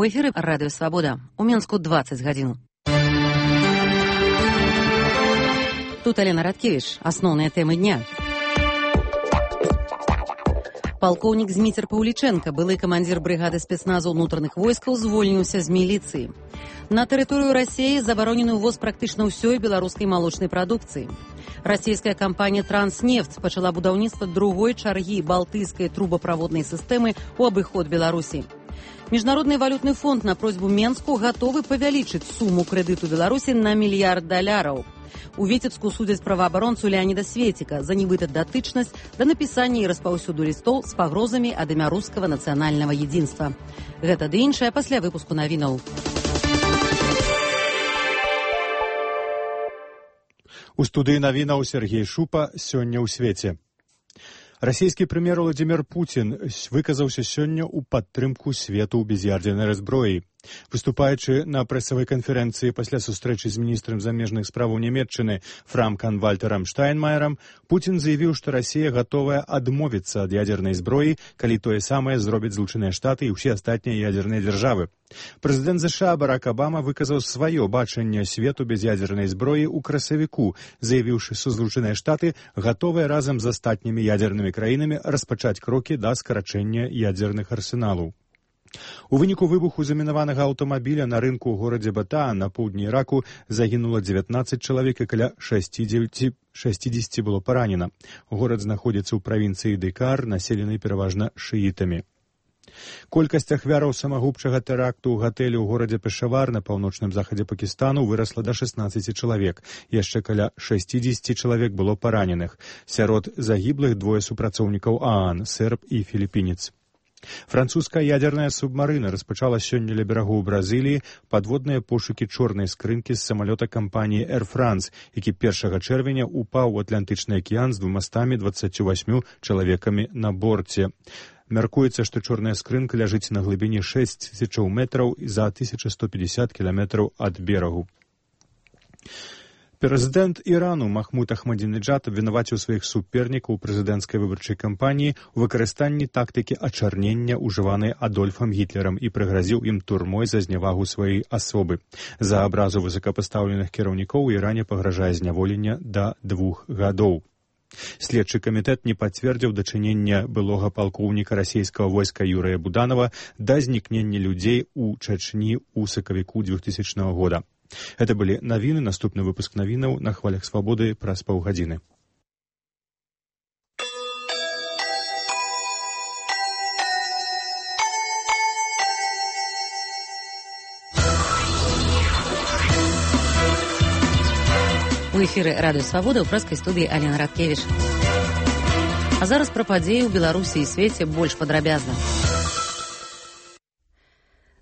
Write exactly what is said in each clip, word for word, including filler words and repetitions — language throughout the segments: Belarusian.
У эфіры Радыё Свабода. У Мінску дваццаць гадзін. Тут Алена Радкевіч. Асноўныя тэмы дня. Палкоўнік Зміцер Паўлічэнка, былы камандзір брыгады спецназу ўнутраных войскаў, звольніўся з міліцыі. На тэрыторыю Расіі забаронены ўвоз практычна ўсёй беларускай малочнай прадукцыі. Расійская кампанія «Транснефть» пачала будаўніцтва другой чаргі балтыйскай трубаправоднай сістэмы ў абыход Беларусі. Міжнародны валютны фонд на просьбу Менску гатовы павялічыць суму крэдыту Беларусі на мільярд даляраў. У Віцебску судзяць праваабаронцу Леаніда Светіка за нібыта датычнасць да напісання і распаўсюду лістоў з пагрозамі ад імя рускага нацыянальнага едзінства. Гэта ды іншае пасля выпуску навінаў. У студыі навінаў Сергей Шупа. Сёння ў свеце. Расійскі прэм'ер Владзімір Пуцін выказаўся сёння ў падтрымку свету ў без'ядзернай зброі. Выступаючы на прэсавай канферэнцыі пасля сустрэчы з міністрам замежных справаў Нямецчыны Франкам-Вальтэрам Штайнмаерам, Пуцін заявіў, што Расія гатовая адмовіцца ад ядзернай зброі, калі тое самае зробяць Злучаныя Штаты і ўсе астатнія ядзерныя дзяржавы. Прэзідэнт ЗША Барак Абама выказаў сваё бачанне свету без ядзернай зброі ў красавіку, заявіўшы, што Злучаныя Штаты гатовыя разам з астатнімі ядзернымі краінамі распачаць крокі да скарачэння ядзерных арсеналаў. У выніку выбуху замінаванага аўтамабіля на рынку ў горадзе Батаа на поўдні Іраку загінула дзевятнаццаць чалавек і каля шэсцьдзесят было паранена. Горад знаходзіцца ў правінцыі Дыкар, населенай пераважна шыітамі. Колькасць ахвяраў самагубчага тэракту ў гатэлі ў горадзе Пешавар на паўночным захадзе Пакістану вырасла да шаснаццаці чалавек. Яшчэ каля шэсцьдзесят чалавек было параненых. Сярод загіблых двое супрацоўнікаў ААН, серб і філіпінец. Французская ядерная субмарына распачала сёння ля берагоў Бразыліі падводныя пошукі чорнай скрынкі з самалёта кампаніі Air France, які першага чэрвеня упаў у Атлантычны акіян з двумастамі дваццаццю васьмю чалавекамі на борце. Мяркуецца, што чорная скрынка ляжыць на глыбіні шэсць тысячаў метраў і за тысяча сто пятьдесят кіламетраў ад берагу. Прэзідэнт Ірану Махмуд Ахмадзінеджад абвінаваціў сваіх супернікаў у прэзідэнцкай выбарчай кампаніі ў выкарыстанні тактыкі ачарнення, ужыванай Адольфам Гітлерам, і прыгразіў ім турмой за знявагу сваёй асобы. За абразу высокапастаўленых кіраўнікоў у Іране пагражае зняволення да двух гадоў. Следчы камітэт не пацвердзіў дачынення былога палкоўніка расійскага войска Юрыя Буданова да знікнення людзей у Чачні ў сакавіку двухтысячнага года. Гэта былі навіны, наступны выпуск навінаў на хвалях свабоды праз паўгадзіны. У эфіры Радыё Свабода ў прэскай студыі Алена Радкевіч. А зараз пра падзеі ў Беларусі і свеце больш падрабязна.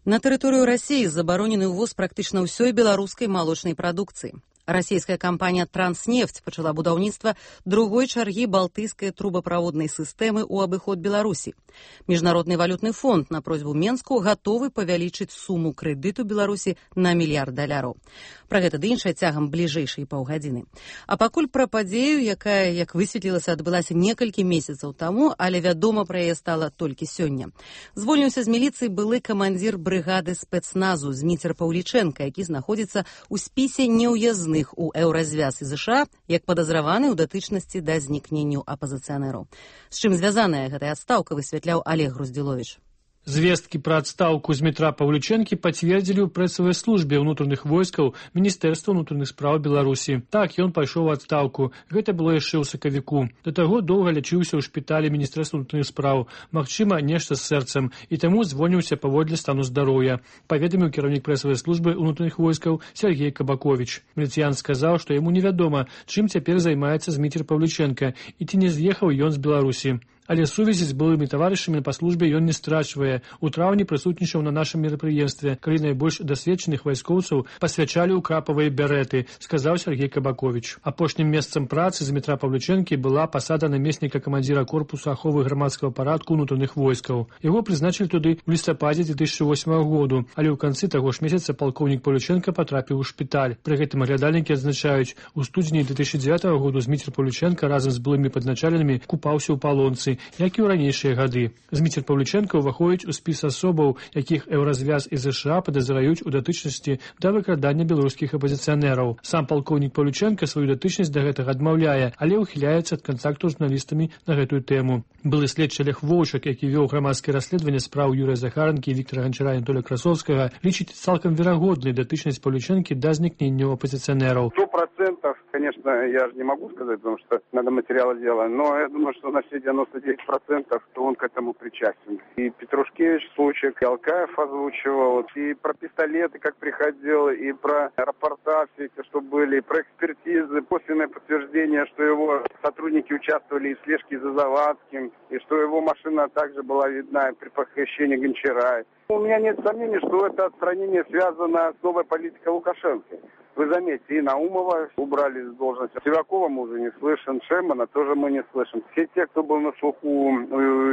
На тэрыторыю Расіі забаронены ўвоз практычна ўсёй беларускай малочнай прадукцыі. Расійская кампанія «Транснефть» пачала будаўніцтва другой чаргі балтыйскай трубаправоднай сістэмы ў абыход Беларусі. Міжнародны валютны фонд на просьбу Менску гатовы павялічыць суму крэдыту Беларусі на мільярд даляраў. Пра гэта ды іншае цягам бліжэйшай паўгадзіны. А пакуль пра падзею, якая, як высветлілася, адбылася некалькі месяцаў таму, але вядома пра яе стала толькі сёння. Звольніўся з міліцыі былы камандзір брыгады спецназу Зміцер Паўлічэнка, які знаходзіцца ў спісе неўязных у еўразвяз і ЗША як падазраваны ў датычнасці да знікненню апазіцыянераў. З чым звязаная гэтая адстаўка, высвятляў Олег Груздзіловіч. Звесткі пра адстаўку Змітра Паўлічэнкі пацвердзілі ў прэсавай службе ўнутраных войскаў Міністэрства ўнутраных спраў Беларусі. Так, ён пайшоў у адстаўку. Гэта было яшчэ ў сакавіку. Да таго доўга лячыўся ў шпіталі Міністэрства ўнутраных спраў. Магчыма, нешта з сэрцам. І таму звольніўся паводле стану здароўя. Паведаміў кіраўнік прэсавай службы ўнутраных войскаў Сергей Кабаковіч. Міліцыян сказаў, што яму невядома, чым цяпер займаецца Зміцер Паўлічэнка і ці не з'ехаў ён з Беларусі. Але сувязі з былымі таварышамі па службе ён не страчвае. У траўні прысутнічаў на нашым мерапрыемстве, калі найбольш дасведчаных вайскоўцаў пасвячалі ў крапавыя бярэты, сказаў Сергей Кабаковіч. Апошнім месцам працы Змітра Паўлічэнкі была пасада намесніка камандзіра корпусу аховы грамадскага парадку ўнутраных войскаў. Яго прызначылі туды ў лістападзе дзве тысячы восьмага году, але ў канцы таго ж месяца палкоўнік Паўлічэнка патрапіў у шпіталь. Пры гэтым аглядальнікі адзначаюць, у студзені дзве тысячы дзевятага году Зміцер Паўлічэнка разам з былымі падначаленымі купаўся ў палонцы як і ў ранейшыя гады. Зміцер Павлюченка ўваходзіць у спіс асобаў, якіх Еўразвяз і ЗША падазраюць у датычнасці да выкрадання беларускіх апозіцыянераў. Сам палкоўнік Павлюченка сваю датычнасць да гэтага адмаўляе, але ўхіляецца ад кантакту з журналістамі на гэтую тэму. Былы следчы Олег Воўчак, які вёў грамадскае расследаванне спраў Юрыя Захаранкі, Віктора Ганчара і Анатолія Красовскага, лічыць цалкам верагоднай датычнасць Павлюченкі да знікнення апозиционеров. Сто процентов, конечно, я же не могу сказать, потому что надо материалы дела, но я думаю, что на все девяносто девять процентов, что он к этому причастен. И Петрушкевич случай, и Алкаев озвучивал, и про пистолеты, как приходил, и про рапорта все эти, что были, и про экспертизы, косвенное подтверждение, что его сотрудники участвовали в слежке за Завадским, и что его машина также была видна при похищении Гончара. У меня нет сомнений, что это отстранение связано с новой политикой Лукашенко. Вы заметьте, и Наумова убрали с должности. Сивакова мы уже не слышим, Шемана тоже мы не слышим. Все те, кто был на слуху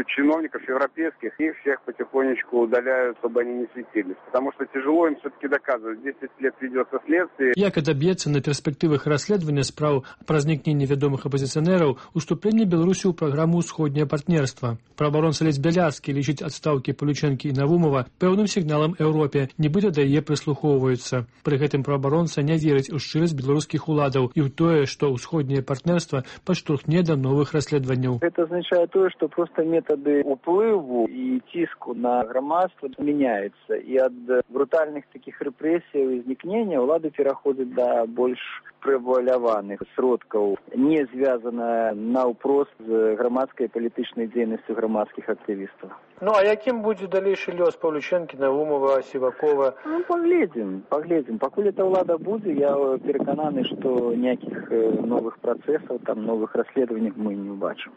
чиновников европейских, их всех потихонечку удаляют, чтобы они не светились. Потому что тяжело им все-таки доказывать. десять лет ведется следствие. Як адаб'ецца на перспектывах расследавання спраў пра знікненне вядомых апозіцыянераў уступленне Беларусі ў праграму «Усходняе партнерства». Праабаронца Алесь Бяляцкі лічыць адстаўкі Павлючэнкі і Навумова пэўным сігналам Еўропе, нібыта да яе прыслухоўваюцца. Пры гэтым праабаронца не верыць у шчырасць беларускіх уладаў і ў тое, што ўсходняе партнерства падштурхне да новых расследаванняў. Это означает то, что просто методы уплыву и тиску на громадство меняются. И от брутальных таких репрессий и изникнения улады переходят до больш преваляваных сродкаў, не звязана наўпрост з грамадскай палітычнай дзейнасцю грамадскіх актывістаў. Ну, а якім будзе далейшы лёс Павлючэнкі, Навумова, Сівакова? Ну, поглядзім, поглядзім. Пакуль эта ўлада будзе, я перакананы, што ніякіх новых працэсаў, там новых расследаванняў мы не убачым.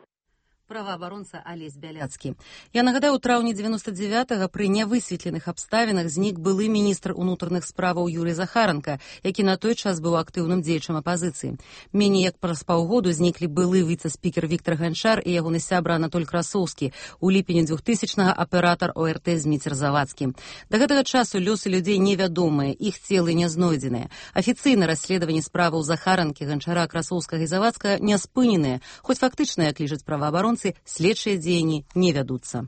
Праваабаронца Алесь Бяляцкі. Я нагадаю, у траўні девяносто девятого пры нявысветленых абставінах знік былы міністр унутраных справаў Юрый Захаранка, які на той час быў актыўным дзеячам апазіцыі. Меней як праз паўгоду зніклі былы віцэ-спікер Віктор Ганчар і ягоны сябра Анатоль Красоўскі, у ліпені двухтысячнага аператар О Р Т Зміцер Завадскі. Да гэтага часу лёсы людзей невядомыя, іх целы не знойдзеныя. Афіцыйна расследаванне справаў Захаранкі, Ганчара, Красоўскага і Завадска не спыненыя, хоць фактычна, як лічаць праваабаронцы, следчыя дзеянні не вядуцца.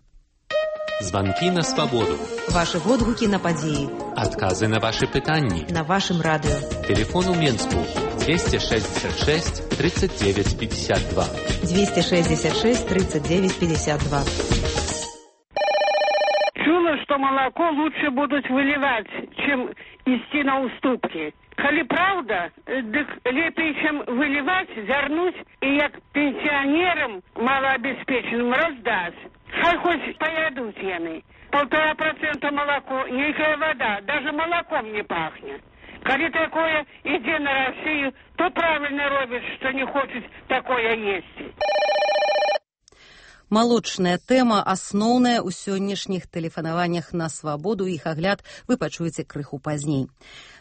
Звонки на свободу. Ваши водгуки на подеи. Отказы на ваши пытанни. На вашем радио. Телефон у Менску двести шестьдесят шесть тридцать девять пятьдесят два. двести шестьдесят шесть тридцать девять пятьдесят два. Чула, что молоко лучше будут выливать, чем идти на уступки. Коли правда, дык лепей, чем выливать, вернуть и як пенсионерам малообеспеченным раздать. Хай хоть поедут яны. Полтора процента молоко, никакая вода, даже молоком не пахнет. Коли такое, иди на Россию, то правильно робишь, что не хочешь такое есть. Малочная тэма асноўная ў сённяшніх тэлефанаваннях на свабоду. Іх агляд вы пачуеце крыху пазней.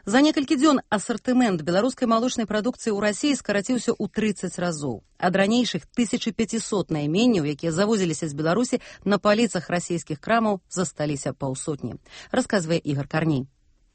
За некалькі дзён асартымент беларускай малочнай прадукцыі ў Расіі скараціўся ў трыццаць разоў. Ад ранейшых тысяча пятьсот найменняў, якія завозіліся з Беларусі, на паліцах расійскіх крамаў засталіся паўсотні. Расказвае Ігор Карней.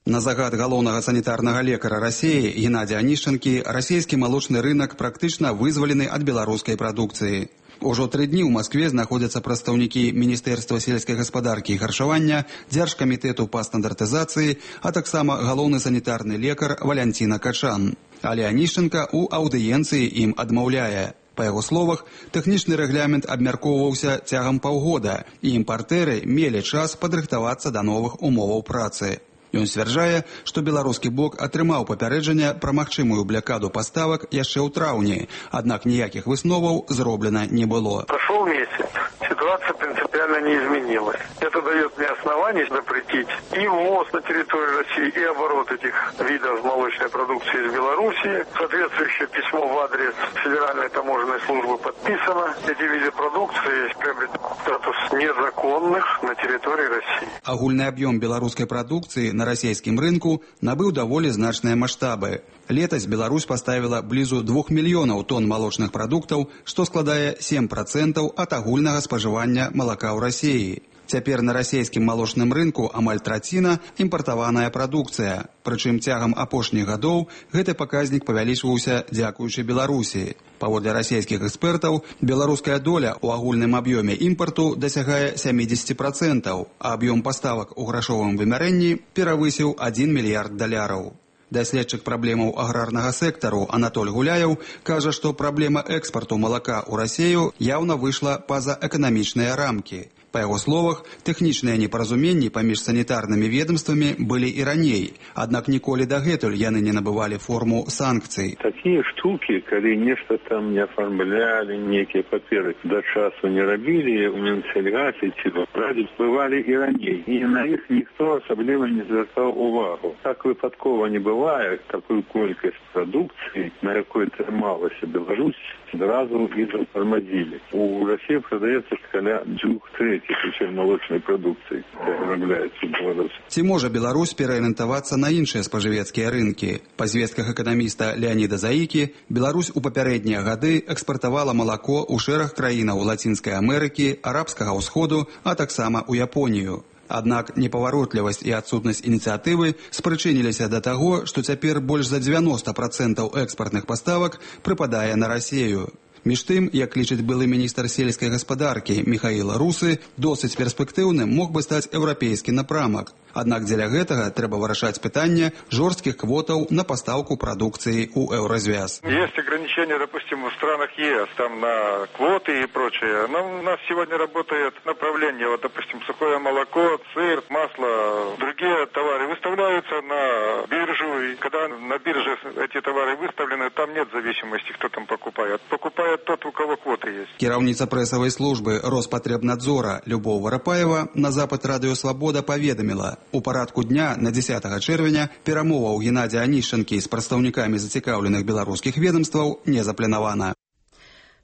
На загад галоўнага санітарнага лекара Расіі Геннадзя Анішчанкі расійскі малочны рынак практычна вызвалены ад беларускай прадукцыі. Ужо тры дні ў Маскве знаходзяцца прадстаўнікі Міністэрства сельскай гаспадаркі і харчавання, Дзяржкамітэту па стандартызацыі, а таксама галоўны санітарны лекар Валянціна Качан. Але Анішчанка ў аўдыенцыі ім адмаўляе. Па яго словах, тэхнічны рэгламент абмяркоўваўся цягам паўгода, і імпартэры мелі час падрыхтавацца да новых умоваў працы. Ён сцвярджае, што беларускі бок атрымаў папярэджанне пра магчымую блякаду паставак яшчэ ў траўні, аднак ніякіх высноваў зроблена не было. Прошел месяц, ситуация принципиально не изменилась. Это дает мне основание запретить и ввоз на территорию России, и оборот этих видов молочной продукции из Беларуси. Соответствующее письмо в адрес Федеральной таможенной службы подписано. Эти виды продукции приобретут статус незаконных на территории России. Агульны аб'ём беларускай прадукцыі на расійскім рынку набыў даволі значныя маштабы. Летась Беларусь паставіла блізу двух мільёнаў тонн малочных прадуктаў, што складае сем процентаў ад агульнага спажывання малака ў Расіі. Цяпер на расійскім малочным рынку амаль траціна імпартаваная прадукцыя. Прычым цягам апошніх гадоў гэты паказнік павялічваўся дзякуючы Беларусі. Паводле расійскіх экспертаў, беларуская доля ў агульным аб'ёме імпарту дасягае сямідзесят процентаў, а аб'ём паставак у грашовым вымярэнні перавысіў адзін мільярд даляраў. Даследчык праблемаў аграрнага сектару Анатоль Гуляев кажа, што праблема экспарту малака ў Расію яўна выйшла па-за эканамічныя рамкі. Па яго словах, тэхнічныя непаразуменні паміж санітарнымі ведомствамі былі і раней, аднак ніколі дагэтуль яны не набывалі форму санкцый. Такія штукі, калі нешта там не афармлялі, нейкія паперы да часу не рабілі, у Мінсельгасе ці радзіць бывалі і раней. І на іх ніхто асабліва не звяртаў увагу. Так выпадкова не бывае, такую колькасць прадукцыі, на якой трымалася Беларусь, зразу і затормозили. У России продается каля двух третьих усей молочной продукции, которая вырабляется в Беларуси. Ці можа Беларусь пераарыентавацца на іншыя спажывецкія рынкі? Па звестках эканаміста Леоніда Заікі, Беларусь у папярэднія гады экспартавала малако ў шэраг краінаў Лацінскай Амерыкі, Арабскага ўсходу, а таксама ў Японію. Аднак непаваротлівасць і адсутнасць ініцыятывы спрычыніліся да таго, што цяпер больш за дзевяноста процентаў экспартных паставак прыпадае на Расію. Між тым, як лічыць былы міністр сельскай гаспадаркі Міхаіл Русы, досыць перспектыўным мог бы стаць еўрапейскі напрамак. Аднак дзеля гэтага трэба вырашаць пытанне жорсткіх квотаў на пастаўку прадукцыі ў еўразвяз. Есть ограничения, допустим, в странах ЕС, там на квоты и прочее. Но у нас сегодня работает направление, вот, допустим, сухое молоко, сыр, масло, другие товары выставляются на биржу. И когда на бирже эти товары выставлены, там нет зависимости, кто там покупает. Покупает тот, у кого квоты есть. Кіраўніца прэсавай службы Роспатребнадзора Любоў Варапаева на запад Радыё Свабода паведаміла: у парадку дня на дзесятага чэрвеня перамоваў Геннадзя Анішчанкі з прадстаўнікамі зацікаўленых беларускіх ведомстваў не запланавана.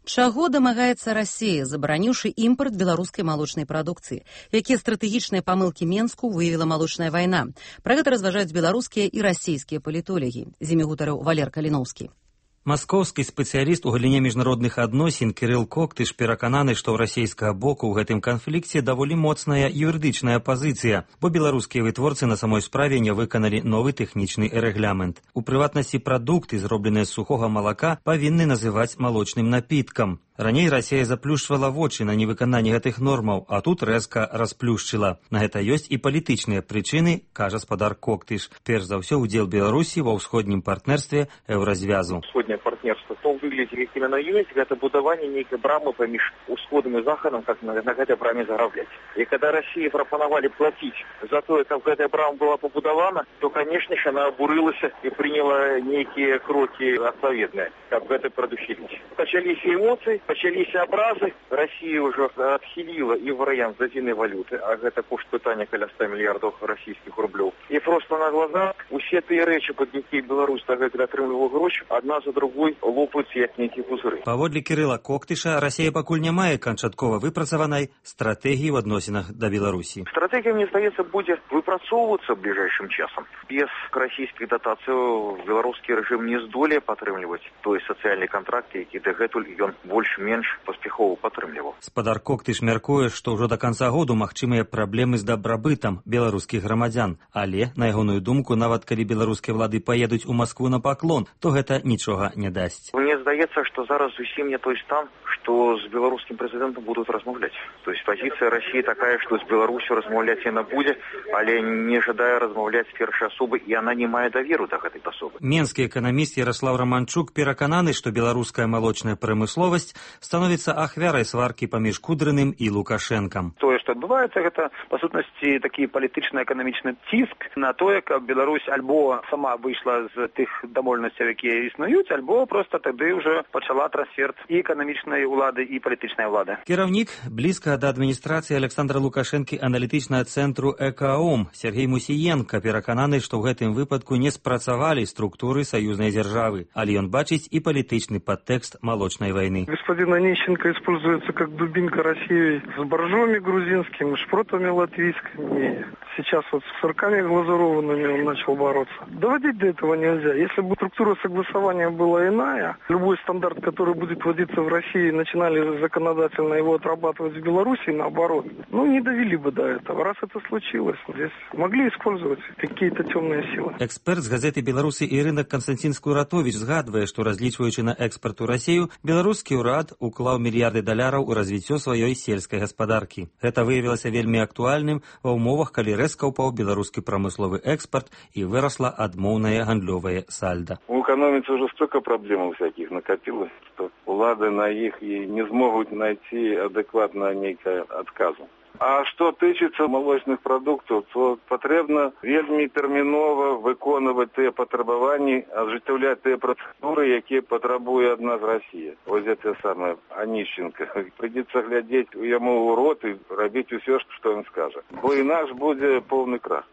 Чаго дамагаецца Расія, забараніўшы імпарт беларускай малочнай прадукцыі? Якія стратэгічныя памылкі Менску выявіла малочная вайна? Пра гэта разважаюць беларускія і расійскія палітолагі. З імі гутарыў Валер Каліноўскі. Маскоўскі спецыяліст у галіне міжнародных адносін Кірыл Коктыш перакананы, што ў расійскага боку ў гэтым канфлікце даволі моцная юрыдычная пазіцыя, бо беларускія вытворцы на самой справе не выканалі новы тэхнічны рэгламент. У прыватнасці прадукты, зробленыя з сухога малака, павінны называць малочным напіткам. Раней Расія заплюшчвала вочы на невыкананне гэтых нормаў, а тут рэзка расплюшчыла. На гэта ёсць і палітычныя прычыны, кажа спадар Коктыш. Перш за ўсё, удзел Беларусі ва ўсходнім партнерстве еўразвязу. Усходняе партнерство, то выглядзе, як іменно ёсць, гэта будаванне нейкай брамы паміж усходам і захадам, как на, на гэтай браме зарабляць. І када Расіі прапанавалі плаціць за тое, каб гэтая брама была пабудавана, то, канешне ж, яна абурылася і прыняла нейкія крокі адпаведныя, каб гэта прадухіліць. Пачаліся эмоцыі, пачаліся абразы, Расія ўжо адхіліла і варыянт з адзінай валюты, а гэта кошт пытання каля ста мільярдаў расійскіх рублёў. І проста на глазах усе тыя рэчы, пад якія Беларусь дагэтуль атрымлівала грошы, адна за другой лопаюцца як нейкія пузыры. Паводле Кірыла Коктыша, Расія пакуль не мае канчаткова выпрацаванай стратэгіі ў адносінах да Беларусі. Стратэгія, мне здаецца, будзе выпрацоўвацца бліжэйшым часам. Без расійскіх датацый беларускі рэжым не здолее падтрымліваць той сацыяльны кантракт, які дагэтуль ён больш-менш паспяхова падтрымліваў. Спадар Коктыш мяркуе, што ўжо да канца году магчымыя праблемы з дабрабытам беларускіх грамадзян. Але, на ягоную думку, нават калі беларускія ўлады паедуць у Маскву на паклон, то гэта нічога не дасць. Мне здаецца, што зараз зусім не той стан, што з беларускім прэзідэнтам будуць размаўляць. То есть пазіцыя Расіі такая, што з Беларусю размаўляць яна будзе, але не жадае размаўляць з першай асобы, і яна не мае даверу да гэтай асобы. Менскі эканаміст Яраслаў Раманчук перакананы, што беларуская малочная прамысловасць становіцца ахвярай сваркі паміж Кудрыным і Лукашэнкам. Тое, што адбываецца, гэта, па сутнасці, такі палітычна-эканамічны ціск на тое, каб Беларусь альбо сама выйшла з тых дамоўленасцяў, якія існуюць, альбо проста тады ўжо пачала трансфер і эканамічнай улады, і палітычнай улады. Кіраўнік блізка да адміністрацыі Александра Лукашэнкі аналітычнага цэнтру ЭКАОМ Сергей Мусіенка перакананы, што ў гэтым выпадку не спрацавалі структуры саюзнай дзяржавы, але ён бачыць і палітычны падтэкст малочнай вайны. господина Онищенко используется как дубинка России с боржоми грузинскими, шпротами латвийскими. Сейчас вот с сырками глазурованными он начал бороться. Доводить до этого нельзя. Если бы структура согласования была иная, любой стандарт, который будет вводиться в России, начинали законодательно его отрабатывать в Беларуси, наоборот, ну не довели бы до этого. Раз это случилось, здесь могли использовать какие-то темные силы. Эксперт з газеты «Беларуси і рынок» Константин Скуратович згадвае, што разлічваючы на экспорт у Расію, беларускі ўрад уклаў мільярды даляраў у развіццё сваёй сельскай гаспадаркі. Гэта выявілася вельмі актуальным ва ўмовах, калі рэзка ўпаў беларускі прамысловы экспорт і вырасла адмоўнае гандлёвае сальда. У экономицы уже столько проблем всяких накопилось, что улады на их и не смогут найти адекватно некое отказу. А что тычыцца молочных продуктов, то потребно вельмі терминова выконывать те патрабаванні, ажыццяўляць те процедуры, якія патрабуе ад нас Россия. Вот это самое Онищенко. Придется глядеть ему в рот и робить все, что он скажет. Бо инакш будет полный крах.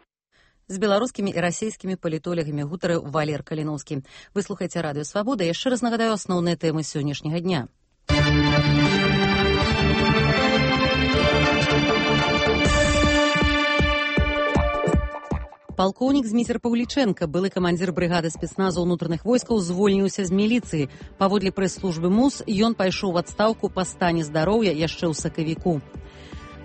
З беларускімі і расійскімі палітолягамі гутарыў Валер Каліноўскі. Вы слухаеце радыё «Свабода». Яшчэ раз нагадаю асноўныя тэмы сённяшняга дня. Палкоўнік Зміцер Паўлічэнка, былы камандзір брыгады спецназу ўнутраных войскаў, звольніўся з міліцыі. Паводле прэс-службы МУС, ён пайшоў у адстаўку па стане здароўя яшчэ ў сакавіку.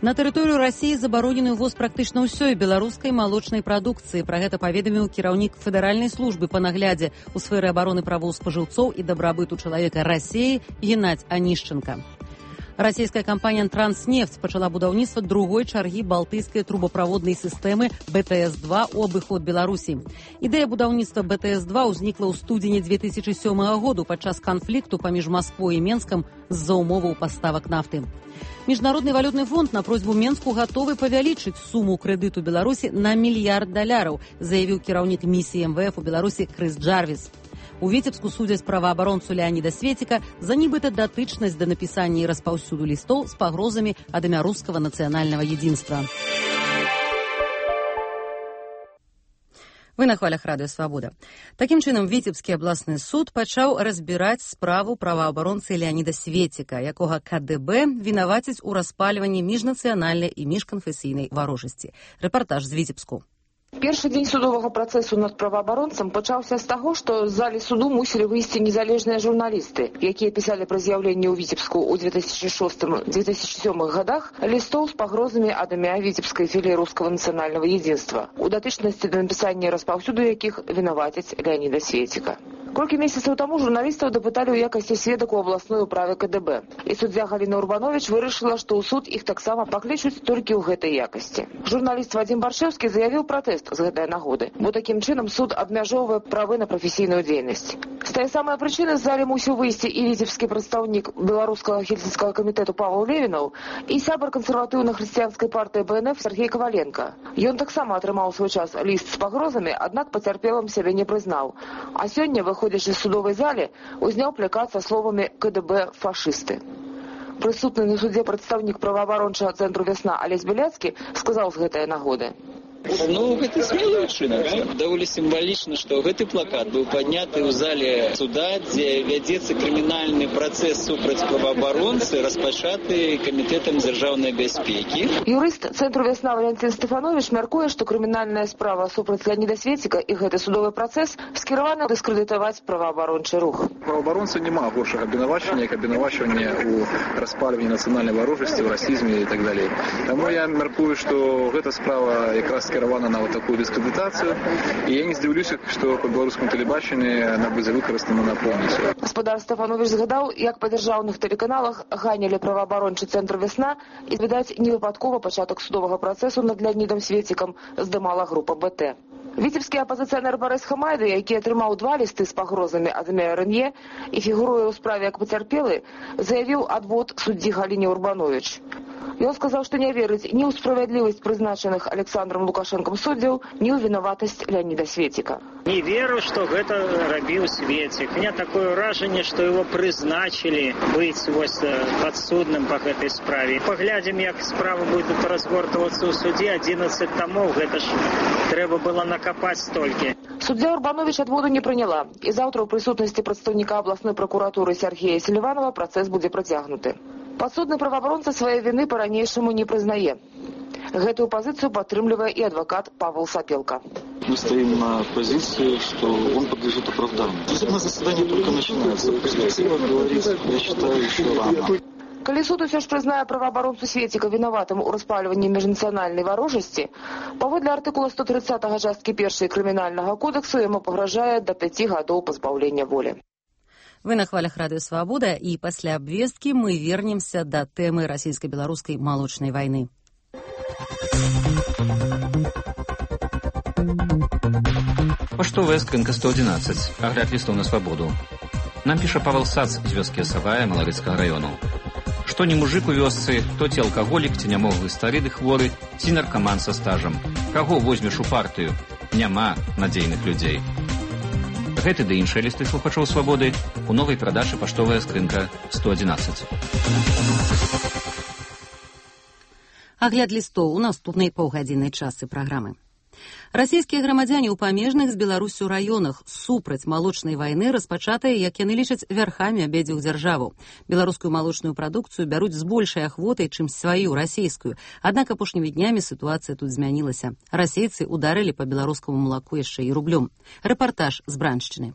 На тэрыторыю Расіі забаронены ўвоз практычна ўсёй беларускай малочнай прадукцыі. Пра гэта паведаміў кіраўнік федэральнай службы па наглядзе ў сферы абароны правоў спажыўцоў і дабрабыту чалавека Расіі Геннадзь Онищенко. Расійская кампанія «Транснефть» пачала будаўніцтва другой чаргі балтыйскай трубаправоднай сістэмы бэ тэ эс два ў абыход Беларусі. Ідэя будаўніцтва бэ тэ эс два ўзнікла ў студзені дзве тысячы сёмага году падчас канфлікту паміж Масквой і Менскам з-за умоваў паставак нафты. Міжнародны валютны фонд на просьбу Менску гатовы павялічыць суму крэдыту Беларусі на мільярд даляраў, заявіў кіраўнік місіі эм вэ эф у Беларусі Крыс Джарвіс. У Віцебску судзяць праваабаронцу Леаніда Светіка за нібыта датычнасць да напісання і распаўсюду лістоў з пагрозамі ад імя рускага нацыянальнага единства. Вы на хвалях радыё «Свабода». Такім чынам, Віцебскі абласны суд пачаў разбіраць справу праваабаронцы Леаніда Светіка, якога ка дэ бэ вінавацяць у распальванні міжнацыянальнай і міжканфесійнай варожасці. Рэпартаж з Віцебску. Першы дзень судовага працэсу над праваабаронцам пачаўся з таго, што з залі суду мусілі выйсці незалежныя журналісты, якія пісалі пры з'яўленні ў Віцебску ў дзве тысячы шостым — дзве тысячы сёмых гадах лістоў з пагрозамі ад імя віцебскай філіі рускага нацыянальнага единства, у датычнасці да напісання і распаўсюду якіх вінавацяць Леаніда Светіка. Колькі месяцаў таму журналістаў дапыталі ў якасці сведак у абласной управе ка дэ бэ. І суддзя Галіна Урбанович вырашыла, што ў суд іх таксама паклічуць толькі ў гэтай якасці. Журналіст Вадзім Баршэўскі заявіў пратэст з гэтай нагоды, бо такім чынам суд абмяжоўвае правы на прафесійную дзейнасць. З тае самай прычыны з залі мусіў выйсці і віцебскі прадстаўнік беларускага хельсінскага камітэту Павел Левінаў і сябар кансерватыўна-хрысціянскай партыі бэ эн эф Сергей Коваленко. Ён таксама атрымаў у свой час ліст з пагрозамі, аднак пацярпелым сябе не прызнаў. А сёння, выходзячы з судовай залі, узняў плакат са словамі ка дэ бэ «фашысты». Прысутны на судзе прадстаўнік праваабарончага цэнтру «Вясна» Алесь Беляцкі сказаў з гэтай нагоды: Ну, гэта смелый учынак. Даволі сімвалічна, што гэты плакат быў падняты ў зале суда, дзе вядзецца крымінальны працэс супраць праваабаронцы, распачаты камітэтам дзяржаўнай бяспекі. Юрыст цэнтру «Вясна» Валентин Стефанович мяркуе, што крымінальная справа супраць Леаніда Светіка і гэты судовы працэс скіраваны дыскрэдытаваць праваабарончы рух. Праваабаронца няма горшага абвінавачвання, як абвінавачванне ў распальванні нацыянальнай варожасці, ў расізме і так далей. Таму я мяркую, што гэта справа якраз скіравана на вот такую дыскрэдытацыю, і я не здзіўлюся, што па беларускім тэлебачанні яна будзе выкарыстана на поўніцу. Гаспадар Стефанович згадаў, як па дзяржаўных тэлеканалах ганялі праваабарончы цэнтр «Вясна», і, відаць, невыпадкова пачатак судовага працэсу над Леанідам Светікам здымала група бэ тэ. Віцебскі апазіцыянер Барыс Хамайды, які атрымаў два лісты з пагрозамі ад імя эр эн е і фігуруе ў справе як пацярпелы, заявіў адвод суддзі Галіне Урбанович. Ён сказаў, што не верыць ні ў справядлівасць прызначаных Александром Лукашенко Лукашэнкам суддзяў, ні ў вінаватасць Леаніда Светіка. Не веру, што гэта рабіў Светик. У меня такое ўражанне, што его прызначылі быць вось падсудным па гэтай справе. Паглядзім, як справа будзе разгортвацца ў судзе. адзінаццаць тамоў, гэта ж трэба было накапаць столькі. Суддзя Урбанович адводу не прыняла, і заўтра ў прысутнасці прадстаўніка абласной пракуратуры Сергея Селіванова працэс будзе працягнуты. Падсудны праваабаронца свае віны па-ранейшаму не прызнае. Гэтую пазіцыю падтрымлівае і адвакат Павел Сапелка. Мы стоим на позиции, что он подлежит оправданию. Судебное заседание только начинается. Перспектива говорит, я считаю, еще рано. Калі суд усё ж прызнае праваабаронцу Светіка вінаватым у распальванні міжнацыянальнай варожасці, паводле артыкула сто тридцатага часткі першай крымінальнага кодексу яму пагражае да пяці гадоў пазбаўлення волі. Вы на хвалях Радыё Свабода, і пасля абвесткі мы вернемся да тэмы расійска-беларускай малочнай вайны. Паштовая скрынка сто одиннадцать. Агляд листов на свободу. Нам піша Павел Сац з вёскі Асавая Малавіцкага раёну. Што не мужик у вёсцы, то ці алкаголік, ці нямоглы старыды хворы, ці наркаман са стажам. Каго возьмеш у партыю? Няма надзейных людзей. Гэты ды іншыя лісты слухачоў свабоды у новай прадачы паштовая скрынка сто одиннадцать. Агляд лістоў у наступнай паўгадзіннай частцы праграмы. Расійскія грамадзяне ў памежных з Беларусю раёнах супраць малочнай вайны распачатыя, як яны лічаць, вярхамі абедзвюх дзяржаваў. Беларускую малочную прадукцыю бяруць з большай ахвотай, чым сваю расійскую. Аднак апошнімі днямі сітуацыя тут змянілася. Расейцы ударылі па беларускаму малаку яшчэ і рублём. Рэпартаж з Браншчыны.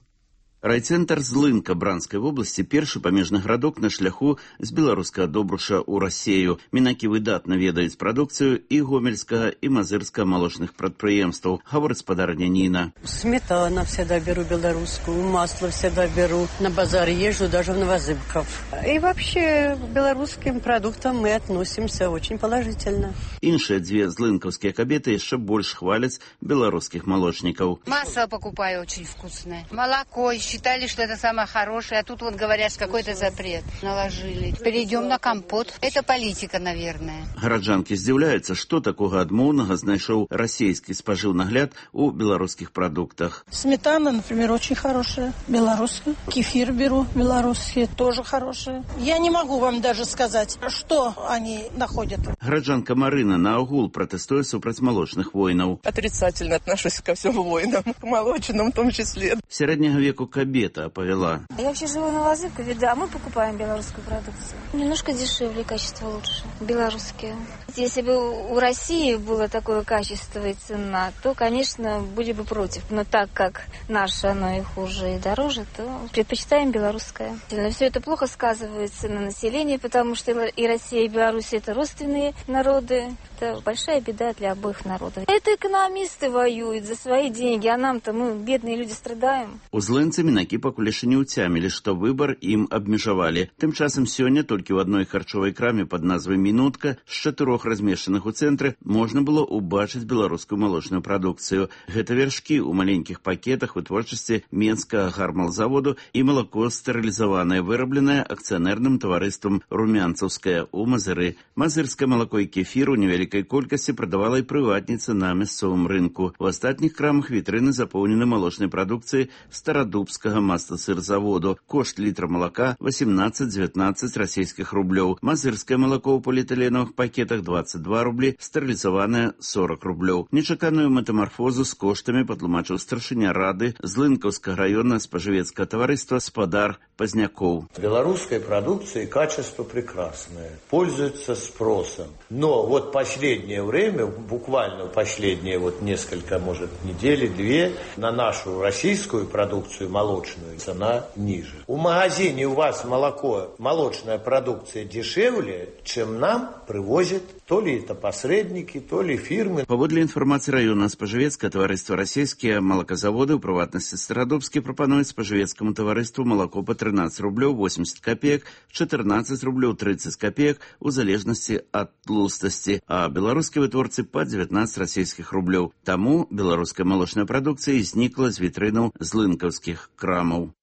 Райцэнтр Злынка Бранскай вобласці першы памежны гарадок на шляху з беларускага Добруша ў Расею. Мінакі выдатна ведаюць прадукцыю і гомельскага і мазырскага малочных прадпрыемстваў, гаворыць спадарня Ніна. Сметана всегда беру белорусскую, масло всегда беру. На базар езжу даже в Новозыбков. И вообще к белорусским продуктам мы относимся очень положительно. Іншыя дзве злынкаўскія кабеты яшчэ больш хваляць беларускіх молочнікаў. Масло покупаю очень вкусное. Молоко считали, что это самое хорошее, а тут вот говорят, какой-то запрет наложили. Перейдем на компот. Это политика, наверное. Гараджанкі здзіўляюцца, што такога адмоўнага знайшоў расійскі спажыўнагляд у беларускіх прадуктах. Сметана, например, очень хорошая, белорусская. Кефир беру, белорусский, тоже хорошие. Я не могу вам даже сказать, что они находят. Гараджанка Марына наогул пратэстуе супраць малочных войнаў. Отрицательно отношусь ко всем войнам, к молочным в том числе. Сярэдняга веку кабета повела. Я вообще живу на Новозыбкове, да, мы покупаем белорусскую продукцию. Немножко дешевле, качество лучше, белорусские. Если бы у России было такое качество и цена, то, конечно, были бы против. Но так как наше, оно и хуже, и дороже, то предпочитаем белорусское. Но все это плохо сказывается на населении, потому что и Россия, и Беларусь – это родственные народы. Это большая беда для обоих народов. Это экономисты воюют за свои деньги, а нам-то, мы, бедные люди, страдаем. У злынцы мінакі пакуль яшчэ не ўцямілі, што выбар ім абмежавалі. Тым часам сёння толькі ў адной харчовай краме пад назвай «Мінутка» з чатырох размешчаных у цэнтры можна было ўбачыць беларускую малочную прадукцыю. Гэта вяршкі ў маленькіх пакетах вытворчасці менскага гармалзаводу і малако стэрылізаванае, вырабленае акцыянерным таварыствам «Румянцаўскае» ў Мазыры. Мазырскае малако і кефір у невялікай колькасці прадавала і прыватніца на мясцовым рынку. У астатніх крамах вітрыны запоўнены малочнай прадукцыяй старадубскага масласырзаводу. Кошт літра малака восемнадцать-девятнадцать расійскіх рублёў. Мазырскае малако ў поліэтыленовых пакетах двадцать два рублі, стэрылізаванае сорок рублёў. Нечаканую метамарфозу з коштамі патлумачыў старшыня рады Злынкаўскага раёна спажывецкага таварыства спадар Пазнякоў. Белорусской продукции качество прекрасное, пользуется спросом. Но вот последнее время, буквально последние вот несколько, может, недели, две, на нашу российскую продукцию молочную цена ниже. У магазине у вас молоко, молочная продукция дешевле, чем нам привозят то ли это посредники, то ли фирмы. Паводле інфармацыі раёна спажывецкае таварыства расійскія малаказаводы, у прыватнасці Старадубскі, прапануюць спажывецкаму таварыству малако па трынаццаць рублёў восемьдесят копеек, чатырнаццаць рублёў тридцать копеек у залежнасці ад тлустасці, а беларускія вытворцы па девятнадцать расійскіх рублёў. Таму беларуская малочная прадукцыя знікла з вітрынаў злынкаўскіх крамаў.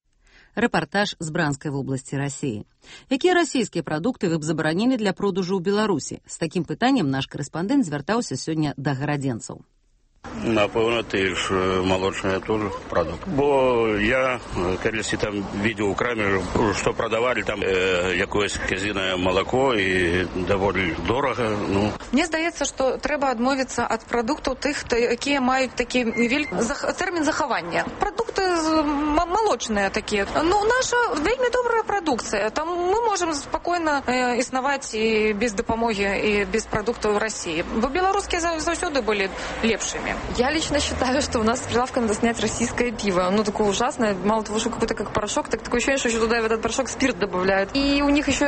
Рэпартаж з Бранскай вобласці Расіі. Якія расійскія прадукты вы б забаранілі для продажу ў Беларусі? З такім пытаннем наш корэспандэнт звяртаўся сёння да гарадзенцаў. Напевно, ты ж молочная тоже продукт. Бо я, когда там видел у краме, что продавали там э, якоїсь казине молоко і доволі дорого. Ну. Мені здається, що треба відмовитися від продуктів тих, які мають такий термін заховання. Продукти молочні такі. Ну, наша вельми добра продукція. Там ми можемо спокійно е, існувати і без допомоги, і без продуктів в Росії. Бо білоруські завжди були лепшими. Я лично считаю, что у нас с прилавка надо снять российское пиво. Оно такое ужасное. Мало того, что какой-то как порошок, так такое ощущение, что еще туда в этот порошок спирт добавляют. И у них еще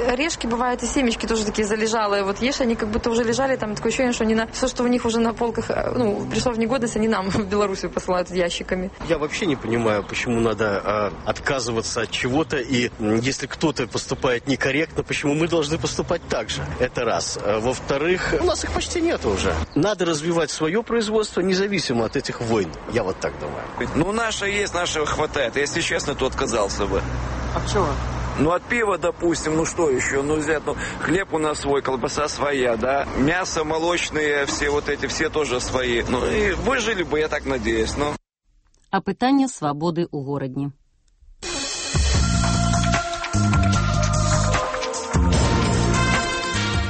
орешки бывают, и семечки тоже такие залежалые. Вот ешь, они как будто уже лежали, там такое ощущение, что они на... все, что у них уже на полках, ну, пришло в негодность, они нам в Белоруссию посылают ящиками. Я вообще не понимаю, почему надо а, отказываться от чего-то, и если кто-то поступает некорректно, почему мы должны поступать так же. Это раз. А, во-вторых, у нас их почти нет уже. Надо развивать свое производство, независимо от этих войн. Я вот так думаю. Ну, наше есть, нашего хватает. Если честно, то отказался бы. А чего? Ну, от пива, допустим, ну что еще? Ну, взять, ну, хлеб у нас свой, колбаса своя, да? Мясо молочные, все вот эти, все тоже свои. Ну, и выжили бы, я так надеюсь, ну. А питання свободи у Городні.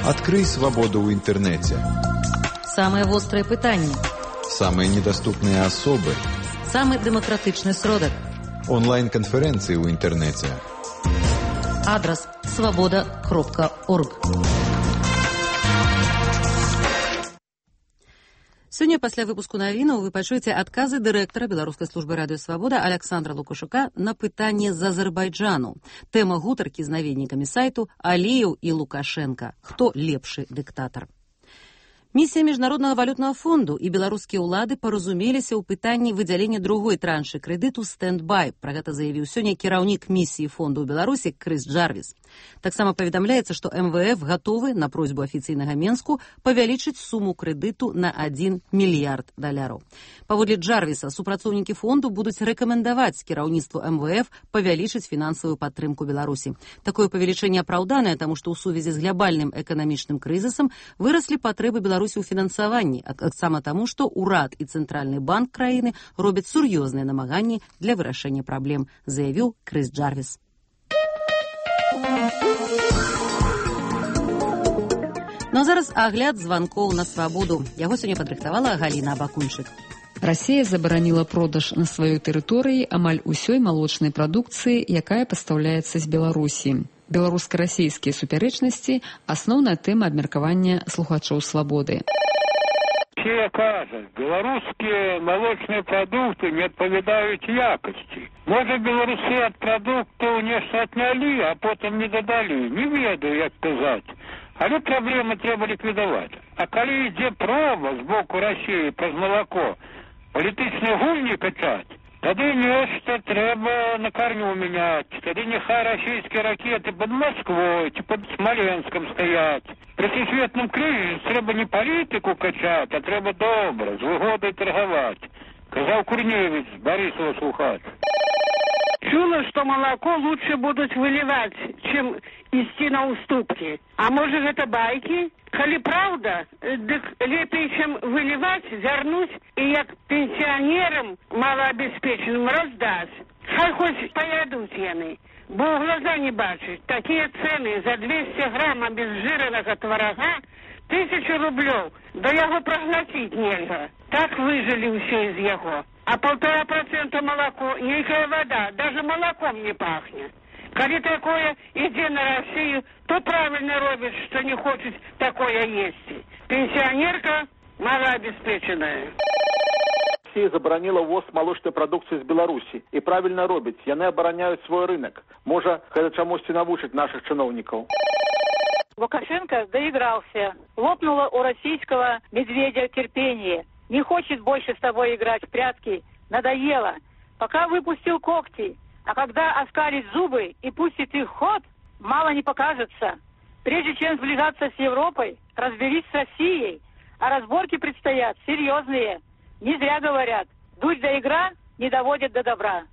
Открой свободу в интернете. Самые острые пытания. Самые недоступные особы. Самый демократичный сродок. Онлайн-конференции в интернете. Адрес свобода крапка орг. Сёння пасля выпуску навінаў вы пачуеце адказы дырэктара беларускай службы радыёсвабода Александра Лукашука на пытанне з Азербайджану. Тэма гутаркі з наведнікамі сайту Аліеў і Лукашенко. Хто лепшы дыктатар? Місія Міжнароднага валютнага фонду і беларускія ўлады паразумеліся ў пытанні выдзялення другой траншы крэдыту «Стэндбай». Пра гэта заявіў сёння кіраўнік місіі фонду ў Беларусі Крыс Джарвіс. Таксама паведамляецца, што эм вэ эф гатовы на просьбу афіцыйнага Менску павялічыць суму крэдыту на адзін мільярд даляраў. Паводле Джарвіса, супрацоўнікі фонду будуць рэкамендаваць кіраўніцтву эм вэ эф павялічыць фінансавую падтрымку Беларусі. Такое павелічэнне апраўданае, таму што ў сувязі з глябальным эканамічным крызісам выраслі патрэбы Беларусі у фінансаванні, а таксама таму, што ўрад і цэнтральны банк краіны робяць сур'ёзныя намаганні для вырашэння праблем, заявіў Крыс Джарвіс. Ну а зараз агляд званкоў на свабоду. Яго сёння падрыхтавала Галіна Абакунчык. Расія забараніла продаж на сваёй тэрыторыі амаль усёй малочнай прадукцыі, якая пастаўляецца з Беларусі. Беларуска-расійскія супярэчнасці – асноўная тэма абмеркавання слухачоў свабоды. Все кажуть, белорусские молочные продукты не отповедают якости. Может, белорусы от продуктов нечто отняли, а потом не додали. Не ведаю, як сказать. Але проблемы треба ликвидовать. А коли йде проба з боку Росії про молоко, політичні гульні качать, тоді нечто треба на корню міняти. Тоді нехай російські ракети під Москвою чи під Смоленськом стоять. При всесвітному кризисі треба не політику качати, а треба добре, з вигодою торгувати. Казав Курнєвич, Борисова слухач. Чула, что молоко лучше будут выливать, чем идти на уступки. А может, это байки? Коли правда, так лепей, чем выливать, вернуть и як пенсионерам малообеспеченным раздать. Хай хоть поедут яны, бо в глаза не бачить. Такие цены за двести грамм обезжиренного творога тысячу рублев, да его проглотить нельзя. Так выжили все из его. А полтора процента молоко, некая вода, даже молоком не пахнет. Коли такое иди на Россию, то правильно робишь, что не хочет такое есть. Пенсионерка малообеспеченная. Россия заборонила ввоз молочной продукции из Беларуси. И правильно робить, яны обороняют свой рынок. Может, это чамусьці навучить наших чиновников. Лукашенко доигрался. Лопнуло у российского медведя терпение. Не хочет больше с тобой играть в прятки. Надоело. Пока выпустил когти. А когда оскалит зубы и пустит их в ход, мало не покажется. Прежде чем сближаться с Европой, разберись с Россией. А разборки предстоят серьезные. Не зря говорят, дуть да игра не доводит до добра.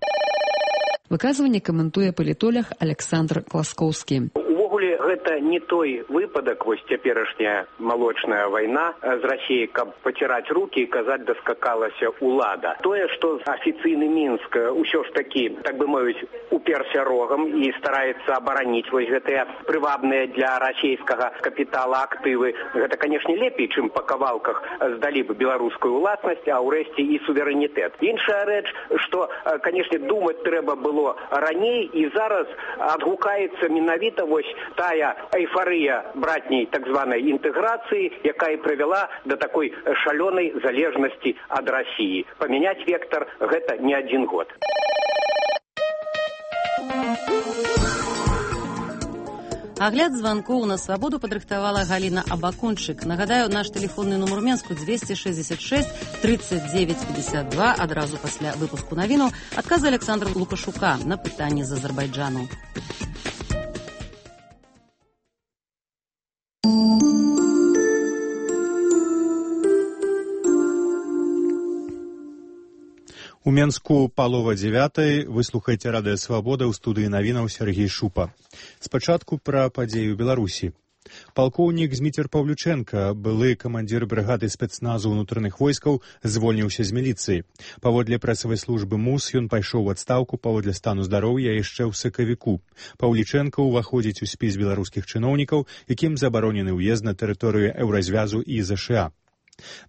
Выказыванне каментуе палітолог Александр Класкоўскі. Увогуле, гэта гэта не той выпадак, вось цяперашняя малочная вайна з Расіяй, каб паціраць рукі і казаць даскакалася ўлада. Тое, што афіцыйны Мінск ўсё ж такі, так бы мовіць, уперся рогам і стараецца абараніць вось гэтыя прывабныя для расійскага капітала актывы. Гэта, канешне, лепей, чым па кавалках здалі бы беларускую ўласнасць, а ўрэшце і суверэнітэт. Іншая рэч, што, канешне, думаць трэба было раней, і зараз адгукаецца менавіта вось тая эйфарыя братняй так званай інтэграцыі, якая прывяла да такой шалёнай залежнасці ад Расіі. Памяняць вектар гэта не адзін год. Агляд званкоў на свабоду падрыхтавала Галіна Абакончык. Нагадаю, наш тэлефонны нумар Менску двести шестьдесят шесть тридцать девять пятьдесят два. Адразу пасля выпуску навінаў адказы Александра Лукашука на пытанні з Азербайджану. У Менску палова дзевятай. Вы слухаеце радыё Свабода, ў студыі навінаў Сергей Шупа. Спачатку пра падзею Беларусі. Палкоўнік Зміцер Паўлючэнка, былы камандзір брыгады спецназу ўнутраных войскаў, звольніўся з міліцыі. Паводле прэсавай службы МУС ён пайшоў у адстаўку паводле стану здароўя яшчэ ў сакавіку. Паўлічэнка ўваходзіць у спіс беларускіх чыноўнікаў, якім забаронены ўезд на тэрыторыю Еўразвязу і ЗША.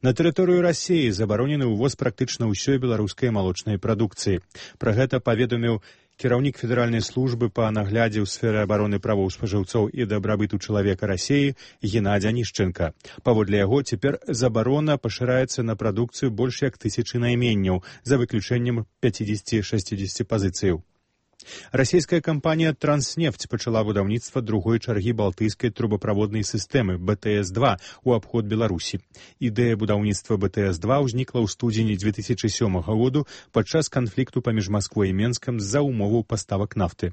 На тэрыторыю Расіі забаронены ўвоз практычна ўсёй беларускай малочнай прадукцыі. Пра гэта паведаміў кіраўнік федэральнай службы па наглядзе ў сферы абароны правоў спажыўцоў і дабрабыту чалавека Расіі Геннадзь Анішчэнка. Паводле яго, цяпер забарона пашыраецца на прадукцыю больш як тысячы найменняў, за выключэннем пяцьдесят-шэсцьдесят пазіцыяў. Расійская кампанія «Транснефть» пачала будаўніцтва другой чаргі балтыйскай трубаправоднай сістэмы бэ тэ эс два у абход Беларусі. Ідэя будаўніцтва бэ тэ эс два ўзнікла ў студзені две тысячи сёмага году падчас канфлікту паміж Масквой і Менскам з-за умоваў паставак нафты.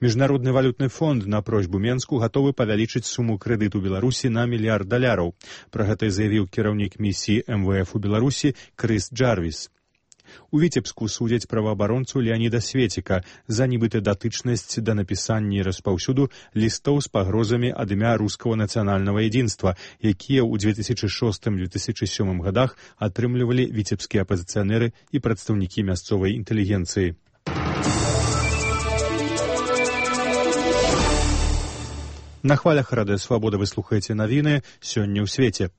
Міжнародны валютны фонд на просьбу Менску гатовы павялічыць суму крэдыту Беларусі на мільярд даляраў. Пра гэта заявіў кіраўнік місіі эм вэ эф у Беларусі Крыс Джарвіс. У Віцебску судзяць праваабаронцу Леаніда Светіка за нібыта датычнасць да напісання і распаўсюду лістоў з пагрозамі ад імя рускага нацыянальнага едзінства, якія ў две тысячи шостым - две тысячи сёмым годах атрымлівалі віцебскія апазіцыянеры і прадстаўнікі мясцовай інтэлігенцыі. На хвалях радыё Свабода вы слухаеце навіны сёння ў свеце.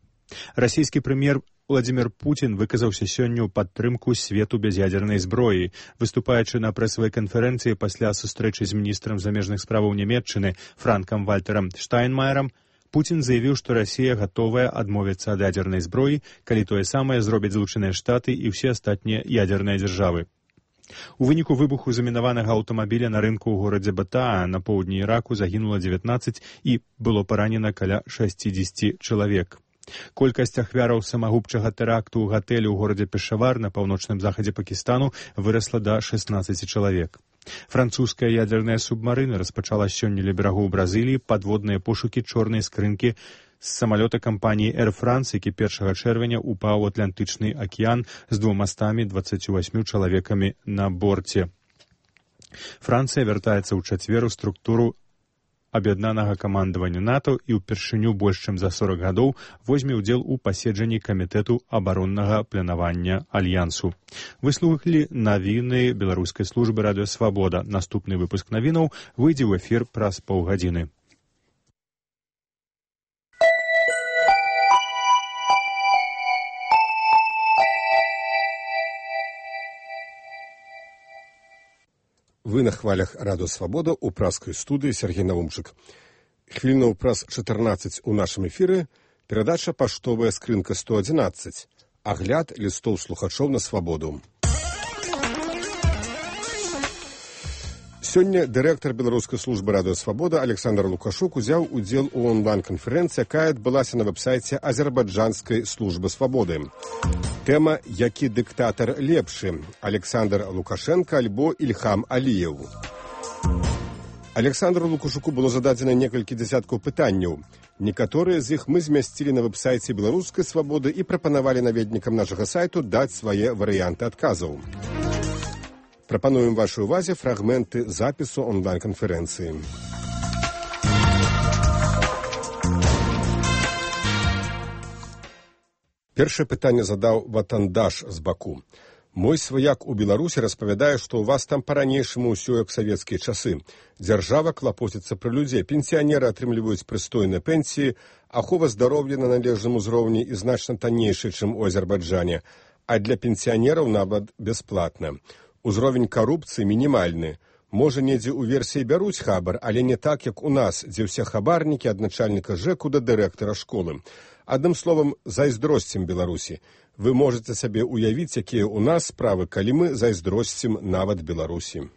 Расійскі прэм'ер Владзімір Пуцін выказаўся сёння ў падтрымку свету без ядзернай зброі. Выступаючы на прэсавай канферэнцыі пасля сустрэчы з міністрам замежных справаў Нямецчыны Франкам Вальтэрам Штайнмаерам, Пуцін заявіў, што Расія гатовая адмовіцца ад ядзернай зброі, калі тое самае зробяць Злучаныя Штаты і ўсе астатнія ядзерныя дзяржавы. У выніку выбуху замінаванага аўтамабіля на рынку ў горадзе Батаа на поўдні Іраку загінула дзевятнаццаць і было паранена каля шэсцьдзесят чалавек. Колькасць ахвяраў самагубчага тэракту ў гатэлі ў горадзе Пешавар на паўночным захадзе Пакістану вырасла да шэсцінаццаці чалавек. Французская ядерная субмарына распачала сёння ля берагоў Бразыліі падводныя пошукі чорнай скрынкі з самалёта кампаніі Air France, які першага чэрвеня упаў у Атлантычны акіян з двумастамі дваццаццю васьмю чалавекамі на борце. Францыя вяртаецца ў чацвер у структуру аб'яднанага камандавання НАТО і ўпершыню больш чым за сорок гадоў возьме ўдзел у паседжанні камітэту абароннага планавання альянсу. Вы слухалі навіны беларускай службы радыё Свабода. Наступны выпуск навінаў выйдзе ў эфір праз паўгадзіны. Вы на хвалях радыё Свабода ў праскай студыі Сергей Навумчык. Хвілінаў праз чатырнаццаць у нашым эфіры перадача «Паштовая скрынка сто адзінаццаць». Агляд лістоў слухачоў на свабоду. Сёння дырэктар беларускай службы радыё Свабода Александр Лукашук узяў удзел у онлайн-канферэнцыі, якая адбылася на вэб-сайце азербайджанскай службы свабоды. Тэма «Які дыктатар лепшы? Александр Лукашенко альбо Ільхам Аліеў». Александру Лукашуку было зададзена некалькі дзясяткаў пытанняў. Некаторыя з іх мы змясцілі на вэб-сайце беларускай свабоды і прапанавалі наведнікам нашага сайту даць свае варыянты адказаў. Прапануем вашай увазе фрагменты запісу онлайн-канферэнцыі. Першае пытанне задаў Ватандаш з Баку. Мой сваяк у Беларусі распавядае, што ў вас там па-ранейшаму ўсё як савецкія часы. Дзяржава клапоціцца пра людзей, пенсіянеры атрымліваюць прыстойныя пенсіі, ахова здароўя на належным узроўні і значна таннейшая, чым у Азербайджане, а для пенсіянераў нават бясплатна. Узровень карупцыі мінімальны. Можа, недзе ў версіі бяруць хабар, але не так, як у нас, дзе ўсе хабарнікі ад начальніка ЖЭКу да дырэктара школы. Адным словам, зайздросцім Беларусі. Вы можете сабе уявіць, якія ў нас справы, калі мы зайздросцім нават Беларусі.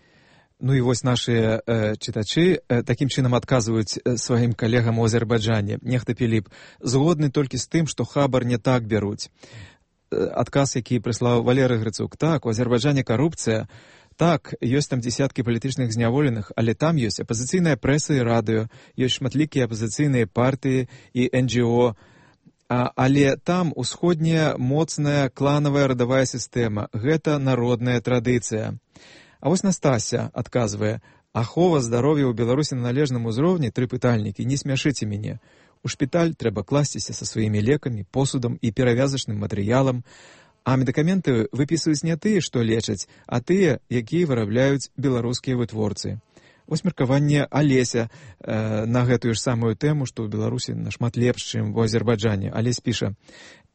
Ну і вось нашыя э, чытачы э, такім чынам адказваюць э, сваім калегам у Азербайджане. Нехта Піліп згодны толькі з тым, што хабар не так бяруць. Э, адказ, які прыслаў Валерый Грыцук. Так, у Азербайджане карупцыя. Так, ёсць там дзесяткі палітычных зняволеных, але там ёсць апазіцыйная прэса і радыё, ёсць шматлікія апазіцыйныя партыі і эн джі о. А, але там усходняя моцная кланавая радавая сістэма. Гэта народная традыцыя. А вось Настася адказвае: ахова здароўя ў Беларусі на належным узроўні, тры пытальнікі, не смяшыце мяне. У шпіталь трэба класціся са сваімі лекамі, посудам і перавязачным матэрыялам, а медыкаменты выпісваюць не тыя, што лечаць, а тыя, якія вырабляюць беларускія вытворцы. Вось меркаванне Алеся э, на гэтую ж самую тэму, што ў Беларусі нашмат лепш, чым у Азербайджане. Алесь піша: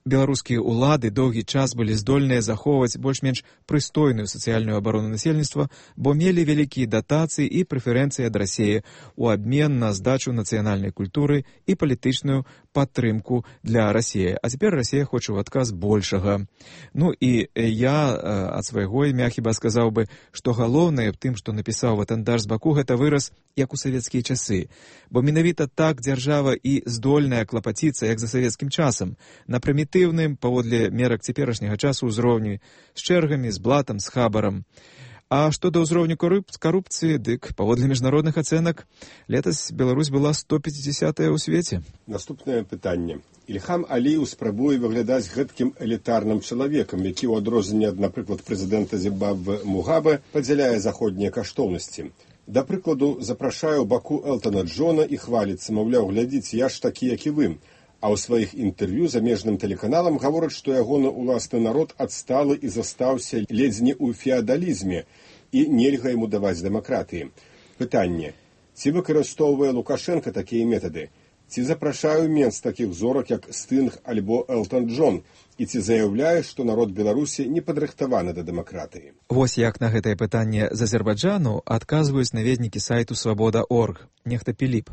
беларускія ўлады доўгі час былі здольныя захоўваць больш-менш прыстойную сацыяльную абарону насельніцтва, бо мелі вялікія датацыі і прэферэнцыі ад Расіі у абмен на здачу нацыянальнай культуры і палітычную падтрымку для Расіі. А цяпер Расія хоча ў адказ большага. Ну і я ад свайго імя хіба сказаў бы, што галоўнае в тым, што напісаў Ватандаш з Баку, гэта выраз як у савецкія часы. Бо менавіта так дзяржава і здольная клапаціцца, як за савецкім часам, на прымітыўным, паводле мерак цяперашняга часу, ўзроўні, з чэргамі, з блатам, з хабарам. А што да ўзроўню карупцыі, дык, паводле міжнародных ацэнак, летась Беларусь была сто пяцідзясятая ў свеце. Наступнае пытанне. Ільхам Аліеў спрабуе выглядаць гэткім элітарным чалавекам, які ў адрозненне ад, напрыклад, прэзідэнта Зімбабве Мугабе падзяляе заходнія каштоўнасці. Да прыкладу, запрашае ў Баку Элтона Джона і хваліцца, маўляў, глядзіце, я ж такі, як і вы. А ў сваіх інтэрв'ю замежным тэлеканалам гавораць, што ягоны ўласны народ адсталы і застаўся ледзь не ў феадалізме і нельга яму даваць дэмакратыі. Пытанне. Ці выкарыстоўвае Лукашенка такія метады? Ці запрашае менш такіх зорак, як Стынг альбо Элтон Джон? І ці заяўляе, што народ Беларусі не падрыхтаваны да дэмакратыі? Вось як на гэтае пытанне з Азербайджану адказваюць наведнікі сайту свабода точка орг. Нехта Піліп.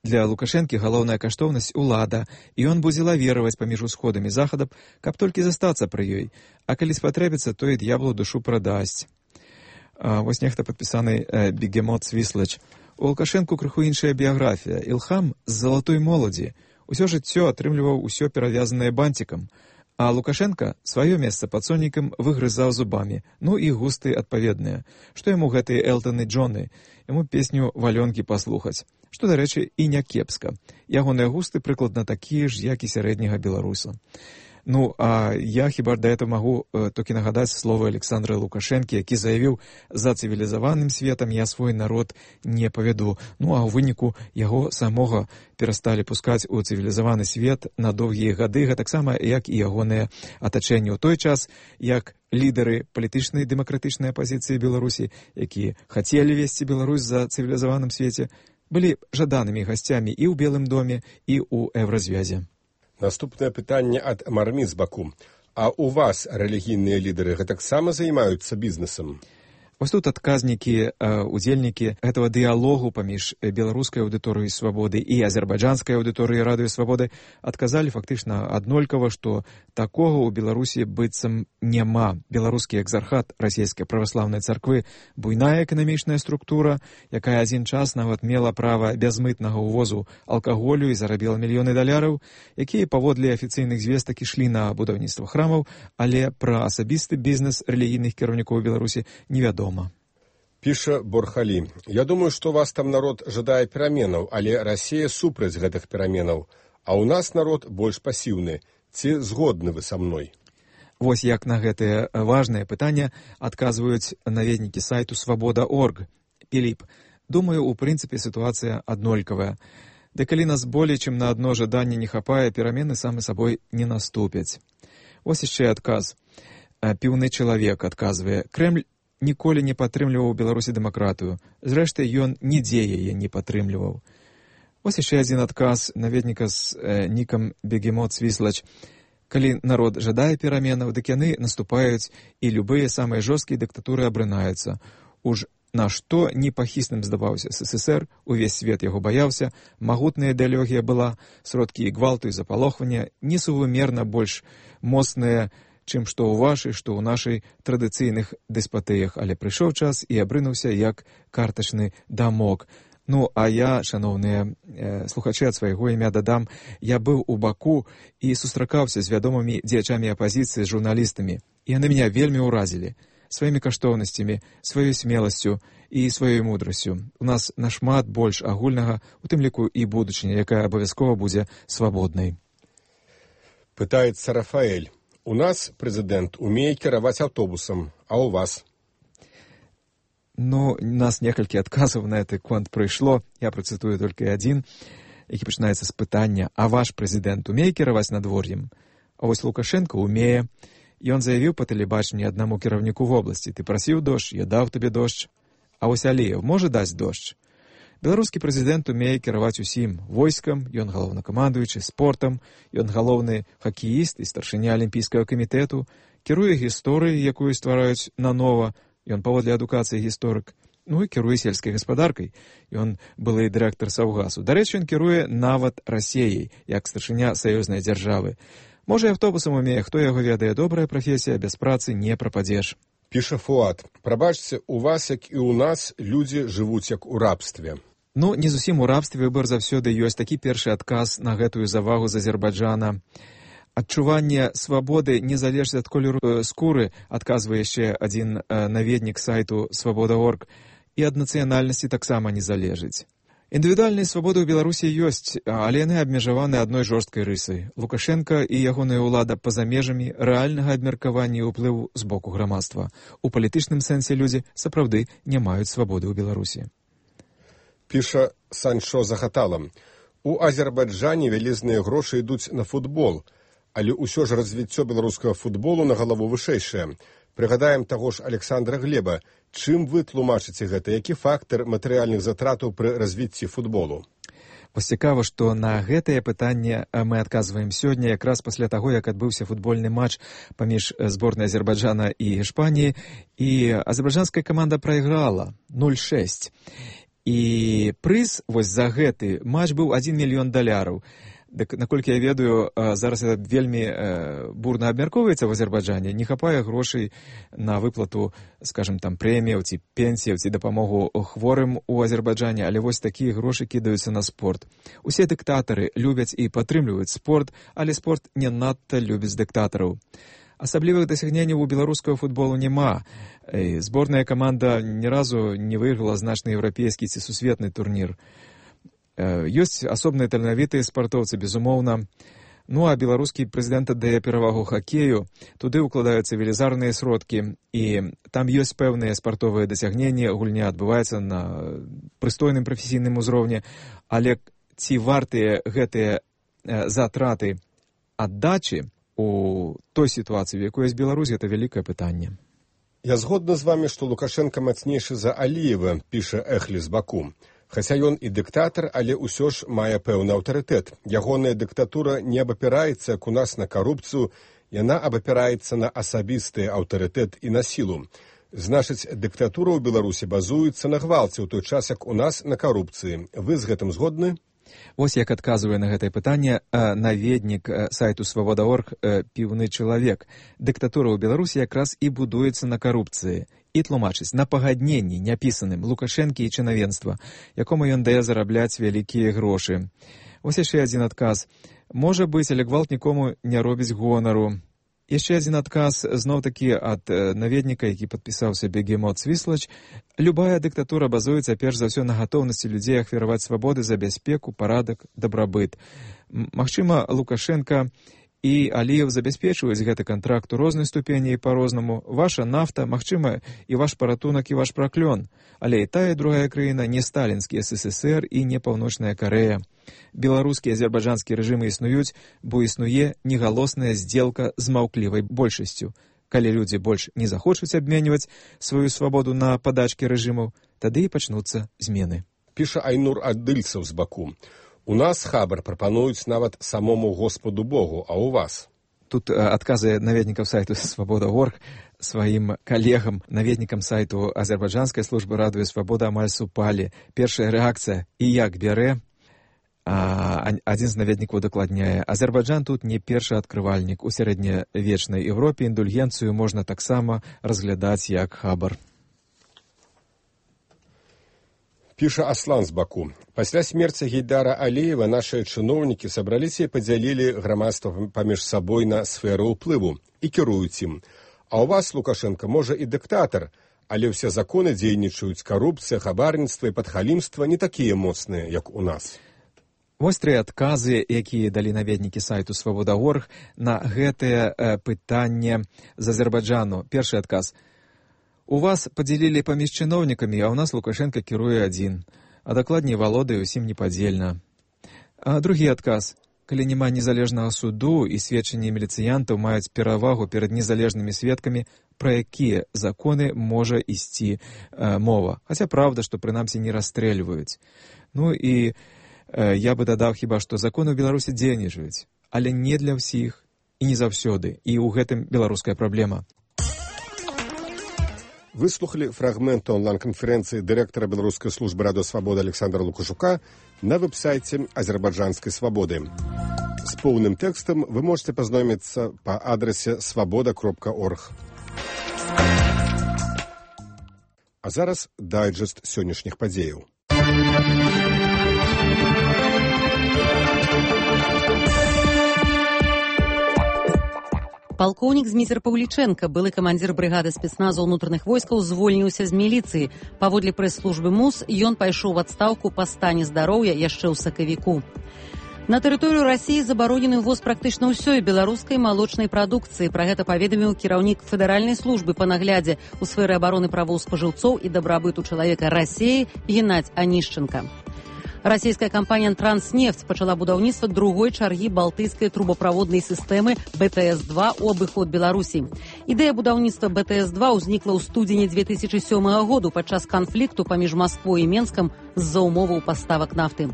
Для Лукашэнкі галоўная каштоўнасць улада, і ён будзе лавіраваць паміж усходам і захадам, каб толькі застацца пры ёй. А калі спатрэбіцца, то і д'яблу душу прадасць. А, вось нехта падпісаны э, Бегемот Свіслач. У Лукашэнку крыху іншая біяграфія. Ілхам з залатой моладзі. Усё жыццё атрымліваў усё перавязанае бантикам. А Лукашенко сваё месца пад сонікам выгрызаў зубамі. Ну і густы адпаведныя. Што яму гэтыя Элтоны Джоны? Яму песню «Валёнкі» паслухаць. Што, дарэчы, і не кепска. Ягоныя густы прыкладна такія ж, як і сярэдняга беларуса. Ну, а я хіба да этого магу э, толькі нагадаць словы Александра Лукашэнкі, які заявіў: за цывілізаваным светам я свой народ не павяду. Ну, а ў выніку яго самога перасталі пускаць у цывілізаваны свет на доўгія гады, гэтаксама як і ягоныя атачэнні ў той час, як лідары палітычнай дэмакратычнай апазіцыі Беларусі, якія хацелі весці Беларусь за цывілізаваным свеце, былі жаданымі гасцямі і ў Белым доме, і ў Еўразвязе. Наступнае пытанне ад Мармі з Баку. А у вас рэлігійныя лідары гэтаксама займаюцца бізнесам? Вось тут адказнікі, удзельнікі гэтага дыялогу паміж беларускай аўдыторыяй свабоды і азербайджанскай аўдыторыяй радыё свабоды адказалі фактычна аднолькава, што такога ў Беларусі быццам няма. Беларускі экзархат расійскай праваслаўнай царквы — буйная эканамічная структура, якая адзін час нават мела права бязмытнага ўвозу алкаголю і зарабіла мільёны даляраў, якія паводле афіцыйных звестак ішлі на будаўніцтва храмаў, але пра асабісты бізнес рэлігійных кіраўнікоў Беларусі невядома. Піша Борхалі. Я думаю, што вас там народ жадае пераменаў, але Расія супраць гэтых пераменаў. А ў нас народ больш пасіўны. Ці згодны вы са мной? Вось як на гэтае важнае пытанне адказваюць наведнікі сайту свабода точка орг. Піліп. Думаю, у прынцыпе сітуацыя аднолькавая. Ды калі нас болей, чым на адно жаданне не хапае, перамены самы сабой не наступяць. Вось яшчэ адказ. Піўны чалавек адказвае: Крэмль ніколі не падтрымліваў у Беларусі дэмакратыю. Зрэшты, ён нідзе яе не падтрымліваў. Вось яшчэ адзін адказ наведніка з э, нікам Бегемот Свіслач. Калі народ жадае пераменаў, дык яны наступаюць, і любыя самыя жорсткія дыктатуры абрынаюцца. Уж на што непахісным здаваўся СССР, увесь свет яго баяўся, магутная ідэалогія была, сродкі і гвалту і запалохвання несувымерна больш моцныя, чым што ў вашай, што ў нашай традыцыйных дэспатыях, але прыйшоў час і абрынуўся як картачны дамок. Ну, а я, шаноўныя э, слухачы, ад свайго імя дадам, я быў у Баку і сустракаўся з вядомымі дзеячамі апазіцыі, з журналістамі. І яны мяне вельмі ўразілі сваімі каштоўнасцямі, сваёй смеласцю і сваёй мудрасцю. У нас нашмат больш агульнага, у тым ліку і будучыня, якая абавязкова будзе свабоднай. Пытаецца Рафаэль. У нас прэзідэнт умее кіраваць аўтобусам, а ў вас? Ну, у нас некалькі адказаў на гэты конт прыйшло. Я працытую толькі адзін, які пачынаецца з пытання: а ваш прэзідэнт умее кіраваць надвор'ем? А вось Лукашенко умее. Ён заявіў па тэлебачанні аднаму кіраўніку вобласці: ты прасіў дождж, я даў табе дождж. А вось Аліеў можа даць дождж? Беларускі прэзідэнт умее кіраваць усім: войскам, ён галоўнакамандуючы, спортам, ён галоўны хакеіст і старшыня алімпійскага камітэту, кіруе гісторыяй, якую ствараюць нанова, ён паводле адукацыі гісторык, ну і кіруе сельскай гаспадаркай, ён былы дырэктар Саўгасу. Дарэчы, ён кіруе нават Расіяй, як старшыня саюзнай дзяржавы. Можа, і аўтобусам умее, хто яго ведае, добрая прафесія, без працы не прападзеш. Піша Фуат. Прабачце, у вас, як і ў нас, людзі жывуць як у рабстве. Ну, не зусім у рабстве, выбар заўсёды ёсць. Такі першы адказ на гэтую завагу з Азербайджана. Адчуванне свабоды не залежыць ад колеру скуры, адказвае яшчэ адзін наведнік сайту свабода точка орг, і ад нацыянальнасці таксама не залежыць. Індывідуальныя свабоды ў Беларусі ёсць, але яны абмежаваны адной жорсткай рысай. Лукашенка і ягоная ўлада па-за межамі рэальнага абмеркавання і ўплыву з боку грамадства. У палітычным сэнсе людзі сапраўды не маюць свабоды ў Беларусі. Піша Санчо Захатала. У Азербайджане вялізныя грошы ідуць на футбол, але ўсё ж развіццё беларускага футболу на галаву вышэйшае. Прыгадаем таго ж Александра Глеба. Чым вы тлумачыце гэта? Які фактар матэрыяльных затратаў пры развіцці футболу? Вось цікава, што на гэтае пытанне мы адказваем сёння, якраз пасля таго, як адбыўся футбольны матч паміж зборнай Азербайджана і Іспаніі, і азербайджанская каманда прайграла нуль шэсць. І прыз вось за гэты матч быў адзін мільён даляраў. Дык, наколькі я ведаю, зараз это вельмі бурна абмяркоўваецца в Азербайджане, не хапае грошай на выплату, скажем, там, прэміяў ці пенсіяў ці дапамогу хворым у Азербайджане, але вось такія грошы кідаюцца на спорт. Усе дыктатары любяць і падтрымліваюць спорт, але спорт не надта любіць дыктатараў. Асаблівых дасягненняў у беларускага футболу няма. Зборная каманда ні разу не выйграла значны еўрапейскі ці сусветны турнір. Ёсць асобныя таленавітыя спартоўцы, безумоўна. Ну, а беларускі прэзідэнт аддае перавагу хакею. Туды ўкладаюцца велізарныя сродкі, і там ёсць пэўныя спартовыя дасягненні, гульня адбываецца на прыстойным прафесійным узроўні, але ці вартыя гэтыя затраты аддачы у той сітуацыі, в якой ёсць Беларусь, гэта вялікае пытанне. Я згодна з вамі, што Лукашенка мацнейшы за Аліева, піша Эхлі з Баку. Хаця ён і дыктатар, але ўсё ж мае пэўны аўтарытэт. Ягоная дыктатура не абапіраецца, як у нас, на карупцыю, яна абапіраецца на асабісты аўтарытэт і на сілу. Значыць, дыктатура ў Беларусі базуецца на гвалце, ў той час, як у нас на карупцыі. Вы з гэтым згодны? Вось як адказвае на гэтае пытанне наведнік сайту свабода точка орг «Піўны чалавек». Дыктатура ў Беларусі якраз і будуецца на карупцыі. І тлумачыць на пагадненні няпісаным Лукашэнкі і чынавенства, якому ён дае зарабляць вялікія грошы. Вось яшчэ адзін адказ. Можа быць, але гвалт нікому не робіць гонару. Яшчэ адзін адказ, зноў-такі ад наведніка, які падпісаўся Бегемот Свіслач. Любая дыктатура базуецца перш за ўсё на гатоўнасці людзей ахвяраваць свабоды за бяспеку, парадак, дабрабыт. Магчыма, Лукашенка і аліев забяспечваюць гэты кантракт у рознай ступені і па-рознаму. Ваша нафта, магчыма, і ваш паратунак, і ваш праклён. Але і тая, і другая краіна не сталінскі эс эс эс эр і не Паўночная Карэя. Беларускі і азербайджанскі рэжымы існуюць, бо існуе негалосная здзелка з маўклівай большасцю. Калі людзі больш не захочуць абменьваць сваю свабоду на падачкі рэжымаў, тады і пачнуцца змены. Піша Айнур Адыльцаў з Баку. У нас хабар прапануюць нават самому Господу Богу, а у вас? Тут адказы наведнікаў сайту «Свабода точка орг» сваім калегам, наведнікам сайту азербайджанскай службы радыё «Свабода» амаль супалі. Першая рэакцыя «І як бярэ?» А, адзін з наведнікаў дакладняе. Азербайджан тут не першы адкрывальнік. У сярэднявечнай Еўропе індульгенцыю можна таксама разглядаць як хабар. Піша Аслан з Баку. Пасля смерці Гейдара Аліева нашыя чыноўнікі сабраліся і падзялілі грамадства паміж сабой на сферу ўплыву і кіруюць ім. А ў вас, Лукашенко, можа і дыктатар, але ўсе законы дзейнічаюць, карупцыя, хабарніцтва і падхалімства не такія моцныя, як у нас. Вось тры адказы, якія далі наведнікі сайту «Свабода точка орг» на гэтае э, пытанне з Азербайджану. Першы адказ. У вас падзялілі паміж чыноўнікамі, а ў нас Лукашенко кіруе адзін, а дакладней валодае ўсім непадзельна. А другі адказ. Калі няма незалежнага суду і сведчанні міліцыянтаў маюць перавагу перад незалежнымі сведкамі, пра якія законы можа ісці э, мова. Хаця праўда, што прынамсі не расстрэльваюць. Ну і э, я бы дадаў хіба, што законы ў Беларусі дзейнічаюць, але не для ўсіх і не заўсёды. І ў гэтым беларуская праблема. Выслухали фрагмент онлайн-конференции директора Белорусской службы радио «Свобода» Александра Лукашука на веб-сайте Азербайджанской свободы. С полным текстом вы можете познакомиться по адресе свобода точка орг. А зараз дайджест сённяшніх падзеяў. Палкоўнік Зміцер Паўлічэнка, былы камандзір брыгады спецназу ўнутраных войскаў, звольніўся з міліцыі. Паводле прэс-службы МУС, ён пайшоў у адстаўку па стане здароўя яшчэ ў сакавіку. На тэрыторыю Расіі забаронены ўвоз практычна ўсёй беларускай малочнай прадукцыі. Пра гэта паведаміў кіраўнік федэральнай службы па наглядзе ў сферы абароны правоў спажыўцоў і дабрабыту чалавека Расіі Геннадзь Анішченка. Расійская кампанія «Транснефть» пачала будаўніцтва другой чаргі балтыйскай трубаправоднай сістэмы бэ тэ эс два ў абыход Беларусі. Ідэя будаўніцтва бэ тэ эс два ўзнікла ў студзені дзве тысячы сёмага году падчас канфлікту паміж Масквой і Менскам з-за умоваў паставак нафты.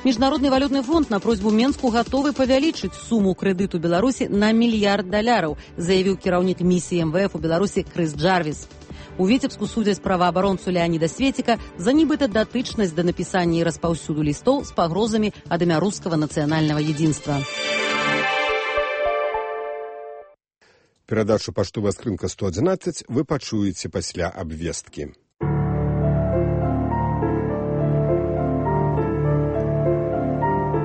Міжнародны валютны фонд на просьбу Менску гатовы павялічыць суму крэдыту Беларусі на мільярд даляраў, заявіў кіраўнік місіі эм вэ эф у Беларусі Крыс Джарвіс. У Віцебску судзяць праваабаронцу Леаніда Светіка за нібыта датычнасць да напісання і распаўсюду лістоў з пагрозамі ад імя рускага нацыянальнага единства. Перадачу «Паштовая скрынка сто адзінаццаць» вы пачуеце пасля абвесткі.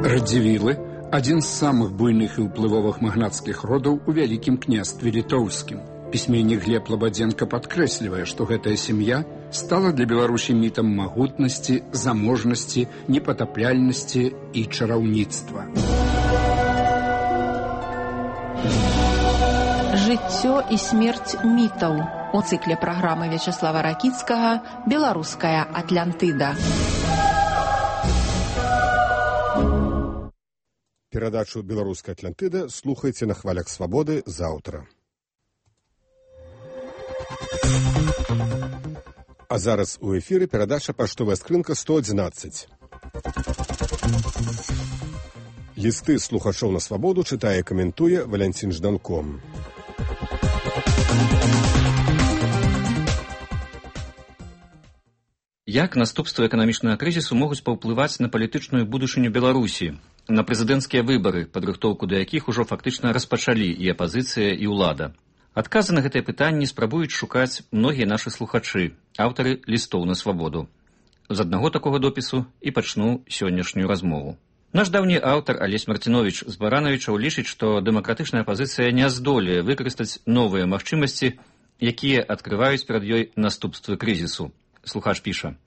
Радзівілы – адзін з самых буйных і ўплывовых магнацкіх родаў у Вялікім княстве Літоўскім. Пісьменнік Глеб Лабадзенка падкрэслівае, што гэтая сям'я стала для Беларусі мітам магутнасці, заможнасці, непатапляльнасці і чараўніцтва. Жыццё і смерць мітаў. У цыкле праграмы Вячаслава Ракіцкага «Беларуская Атлантыда». Перадачу «Беларуская Атлантыда» слухайце на хвалях свабоды заўтра. А зараз у эфіры перадача «Паштовая скрынка сто адзінаццаць». Лісты слухачоў на свабоду чытае і каментуе Валянцін Жданко. Як наступствы эканамічнага крызісу могуць паўплываць на палітычную будучыню Беларусі, на прэзідэнцкія выбары, падрыхтоўку да якіх ужо фактычна распачалі і апазіцыя, і ўлада? Адказы на гэтыя пытанні спрабуюць шукаць многія нашы слухачы, аўтары лістоў на свабоду. З аднаго такога допісу і пачну сённяшнюю размову. Наш даўні аўтар Алесь Марціновіч з Баранавічаў лічыць, што дэмакратычная апазіцыя не здолее выкарыстаць новыя магчымасці, якія адкрываюць перад ёй наступствы крызісу. Слухач піша.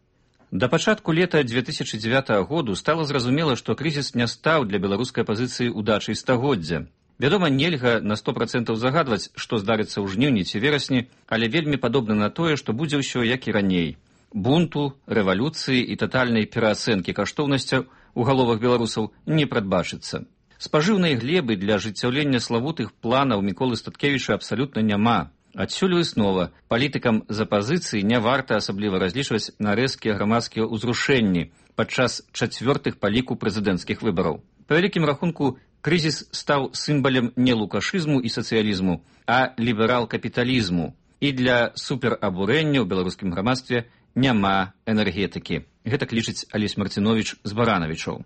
Да пачатку лета дзве тысячы дзевятага году стала зразумела, што крызіс не стаў для беларускай апазіцыі удачай стагоддзя. Вядома, нельга на сто процентаў загадваць, што здарыцца ў жніўні ці верасні, але вельмі падобна на тое, што будзе ўсё як і раней. Бунту, рэвалюцыі і татальнай пераацэнкі каштоўнасцяў у галовах беларусаў не прадбачыцца. Спажыўнай глебы для ажыццяўлення славутых планаў Міколы Статкевіча абсалютна няма. Адсюль выснова, палітыкам з апазіцыі не варта асабліва разлічваць на рэзкія грамадскія ўзрушэнні падчас чацвёртых па ліку прэзідэнцкіх выбараў. Па вялікім рахунку, крызіс стаў сімбалем не лукашызму і сацыялізму, а ліберал-капіталізму. І для суперабурэння ў беларускім грамадстве няма энергетыкі. Гэтак лічыць Алесь Марціновіч з Баранавічаў.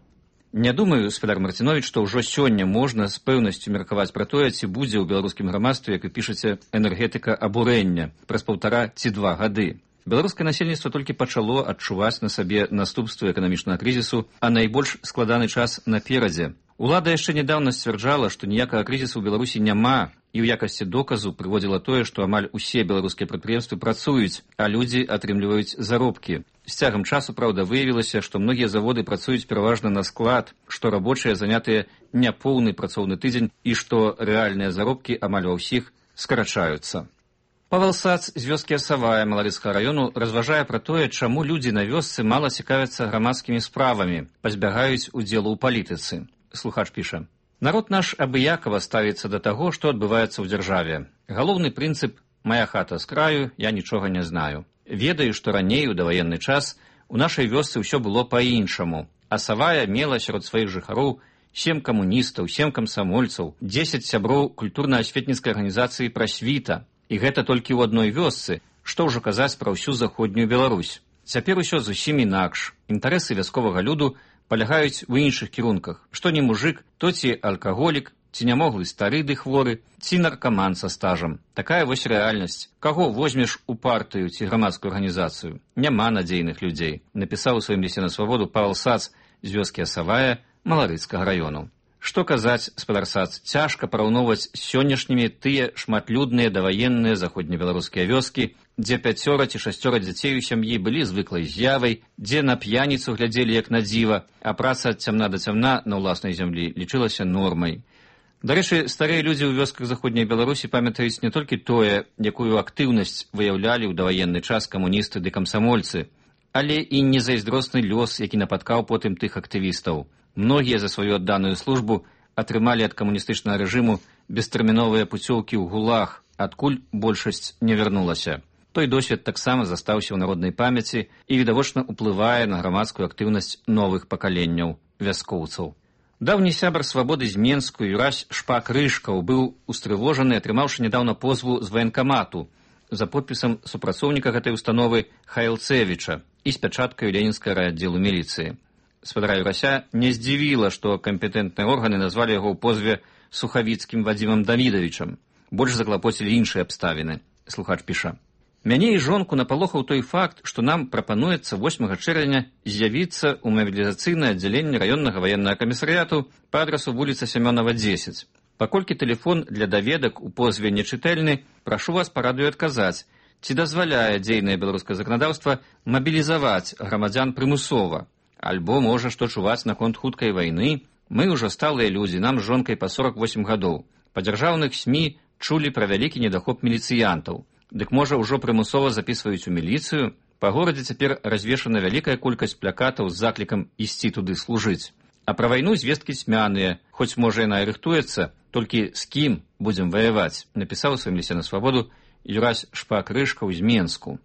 Не думаю, спадар Марціновіч, што ўжо сёння можна з пэўнасцю меркаваць пра тое, ці будзе ў беларускім грамадстве, як вы пішаце, энергетыка абурэння праз паўтара ці два гады. Беларускае насельніцтва толькі пачало адчуваць на сабе наступствы эканамічнага крызісу, а найбольш складаны час наперадзе. Улада яшчэ нядаўна сцвярджала, што ніякага крызісу ў Беларусі няма, і ў якасці доказу прыводзіла тое, што амаль усе беларускія прадпрыемствы працуюць, а людзі атрымліваюць заробкі. З цягам часу, праўда, выявілася, што многія заводы працуюць пераважна на склад, што рабочыя занятыя няпоўны працоўны тыдзень і што рэальныя заробкі амаль ва ўсіх скарачаюцца. Павел Сац з вёскі Асавая Маларыцкага раёну разважае пра тое, чаму людзі на вёсцы мала цікавяцца грамадскімі справамі, пазбягаюць удзелу ў палітыцы. Слухач піша: «Народ наш абыякава ставіцца да таго, што адбываецца ў дзяржаве. Галоўны прынцып «Мая хата з краю, я нічога не знаю». Ведаю, што раней у даваенны час у нашай вёсцы ўсё было па-іншаму. Асавая мела сярод сваіх жыхароў сем камуністаў, сем камсамольцаў, дзесяць сяброў культурна-асветніцкай арганізацыі «Прасвіта». І гэта толькі ў адной вёсцы, што ўжо казаць пра ўсю заходнюю Беларусь. Цяпер усё зусім інакш. Інтарэсы вясковага люду палягаюць у іншых кірунках. Што не мужик, то ці алкаголік, ці нямоглы стары ды хворы, ці наркаман са стажам. Такая вось рэальнасць. Каго возьмеш у партыю ці грамадскую арганізацыю? Няма надзейных людзей, напісаў у сваім лісце на свабоду Павел Сац з вёскі Асавая Маларыцкага раёну. Што казаць, спадар Сац, цяжка параўноўваць з сённяшнімі тыя шматлюдныя даваенныя заходнебеларускія вёскі, дзе пяцёра ці шасцёра дзяцей у сям'і былі звыклай з'явай, дзе на п'яніцу глядзелі як на дзіва, а праца ад цямна да цямна на ўласнай зямлі лічылася нормай. Дарэчы, старыя людзі ў вёсках заходняй Беларусі памятаюць не толькі тое, якую актыўнасць выяўлялі ў даваенны час камуністы ды камсамольцы, але і незайздросны лёс, які напаткаў потым тых актывістаў. Многія за сваю адданую службу атрымалі ад камуністычнага рэжыму бестэрміновыя пуцёўкі ў гулаг, адкуль большасць не вярнулася. Той досвед таксама застаўся ў народнай памяці і відавочна ўплывае на грамадскую актыўнасць новых пакаленняў вяскоўцаў. Даўні сябар свабоды з Менску Юрась Шпак-Рыжкаў быў устрывожаны, атрымаўшы нядаўна позву з ваенкамату за подпісам супрацоўніка гэтай установы Хайлцевіча і з пячаткаю ленінскага райаддзелу міліцыі. Спадара Юрася не здзівіла, што кампетэнтныя органы назвалі яго ў позве Сухавіцкім Вадзімам Давідавічам. Больш заклапоцілі іншыя абставіны. Слухач піша: «Мяне і жонку напалохаў той факт, што нам прапануецца восьмага чэрвеня з'явіцца ў мабілізацыйнае аддзяленне раённага ваеннага камісарыяту па адрасу вуліца Сямёнава, дзесяць. Паколькі тэлефон для даведак у позве нечытэльны, прашу вас па радыё адказаць, ці дазваляе дзейнае беларускае заканадаўства мабілізаваць грамадзян прымусова. Альбо, можа, што чуваць наконт хуткай вайны? Мы ўжо сталыя людзі, нам з жонкай па сорак восем гадоў. Па дзяржаўных СМІ чулі пра вялікі недахоп міліцыянтаў. Дык, можа, ўжо прымусова запісваюць у міліцыю? Па горадзе цяпер развешана вялікая колькасць плакатаў з заклікам ісці туды служыць. А пра вайну звесткі цьмяныя, хоць, можа, яна і рыхтуецца, толькі з кім будзем ваяваць, напісаў у сваім лісце на свабоду Юрась Шпак-Рыжкаў з Менску.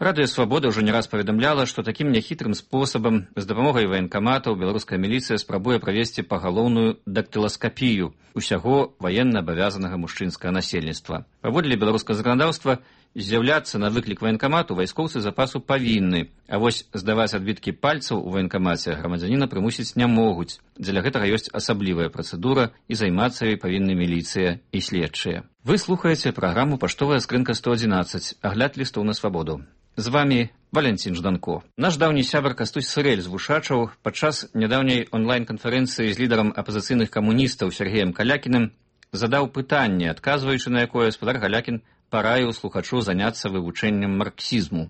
Радыё «Свабода» ўжо не раз паведамляла, што такім няхітрым спосабам з дапамогай ваенкаматаў беларуская міліцыя спрабуе правесці пагалоўную дактыласкапію усяго ваенна абавязанага мужчынскага насельніцтва. Паводле беларускага заканадаўства, з'яўляцца на выклік ваенкамату вайскоўцы запасу павінны, а вось здаваць адбіткі пальцаў у ваенкамаце грамадзяніна прымусіць не могуць. Дзеля гэтага ёсць асаблівая працэдура, і займацца ёй павінны міліцыя і следчыя. Вы слухаеце праграму «Паштовая скрынка сто адзінаццаць», агляд лістоў на свабоду. З вами Валянцін Жданко. Наш даўні сябар Кастусь Сырэль з Вушачаў падчас нядаўняй онлайн-канферэнцыі з лідарам апазіцыйных камуністаў Сергеем Калякіным задаў пытанне, адказваючы на якое спадар Калякін параіў слухачу заняцца вывучэннем марксізму.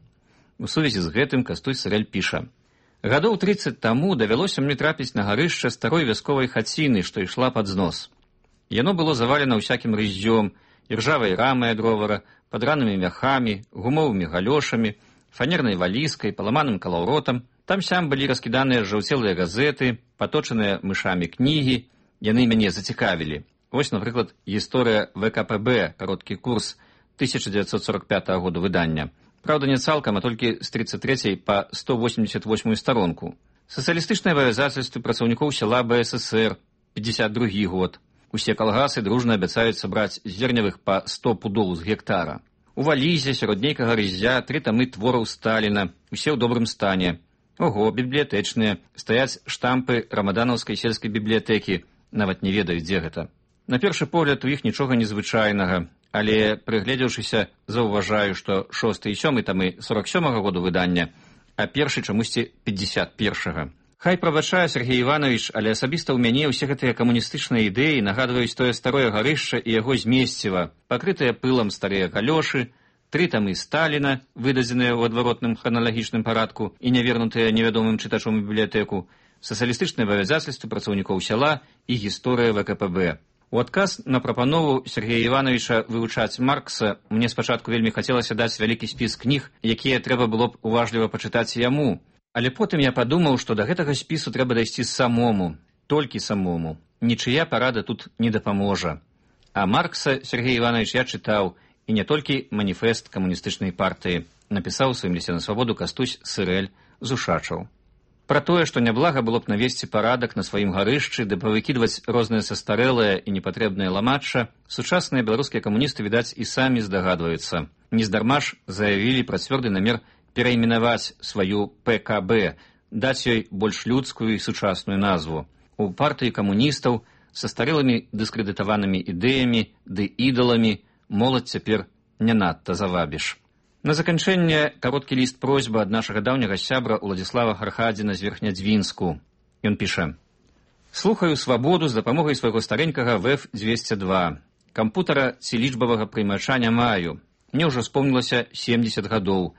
У сувязі з гэтым Кастусь Сырэль піша: «Гадоў трыццаць таму давялося мне трапіць на гарышча старой вясковай хаціны, што ішла пад знос. Яно было завалена ўсякім рыззём, іржавай рамай ад ровара, падранымі мяхамі, гумовымі галёшамі, фанернай валізкай, паламаным калаўротам. Там-сям былі раскіданыя жаўцелыя газеты, паточаныя мышамі кнігі. Яны мяне зацікавілі. Вось, напрыклад, гісторыя вэ ка пэ бэ, кароткі курс тысяча дзевяцьсот сорок пятага году выдання. Праўда, не цалкам, а толькі з тридцать трэцяй па сто восемьдесят восьмую старонку. Сацыялістычныя абавязацельствы працаўнікоў сяла бэ эс эсэр, пятьдесят другі год. Усе калгасы дружна абяцаюць сабраць зернявых па сто пудоў з гектара. У валізе сярод нейкага рыззя тры тамы твораў Сталіна, усе ў добрым стане. Ого, бібліятэчныя, стаяць штампы рамаданаўскай сельскай бібліятэкі, нават не ведаю, дзе гэта. На першы погляд у іх нічога незвычайнага, але, прыгледзеўшыся, заўважаю, што шосты і сёмы тамы сорок сёмага году выдання, а першы чамусьці пятьдесят першага. Хай прабачае Сергей Иванович, але асабіста ў мяне ўсе гэтыя камуністычныя ідэі нагадваюць тое старое гарышча і яго змесціва, пакрытыя пылам старыя галёшы, тры тамы Сталіна, выдадзеныя ў адваротным храналагічным парадку і нявернутыя невядомым чытачом у бібліятэку, сацыялістычныя абавязацельствы працаўнікоў сяла і гісторыя вэ ка пэ бэ. У адказ на прапанову Сергея Івановича вывучаць Маркса мне спачатку вельмі хацелася даць вялікі спіс кніг, якія трэба было б уважліва пачытаць яму. Але потым я падумаў, што да гэтага спісу трэба дайсці самому, толькі самому. Нічыя парада тут не дапаможа. А Маркса Сергей Іванович я чытаў, і не толькі маніфест камуністычнай партыі, напісаў у сваім лісце на свабоду Кастусь Сырэль з Ушачаў. Пра тое, што няблага было б навесці парадак на сваім гарышчы, ды павыкідваць розныя састарэлыя і непатрэбныя ламачча, сучасныя беларускія камуністы, відаць, і самі здагадваюцца. Нездарма ж заявілі пра цвёрды намер перайменаваць сваю пэ ка бэ, даць ёй больш людскую і сучасную назву. У партыі камуністаў са старэлымі дыскрэдытаванымі ідэямі ды ідаламі моладзь цяпер не надта завабіш. На заканчэнне кароткі ліст просьба ад нашага даўняга сябра Уладзіслава Хархадзіна з Верхнядзвінску. Ён піша: «Слухаю свабоду з дапамогай свайго старенькага вэ эф двести два. Кампутара ці лічбавага прыймача не маю. Мне ўжо спомнілася семьдесят гадоў.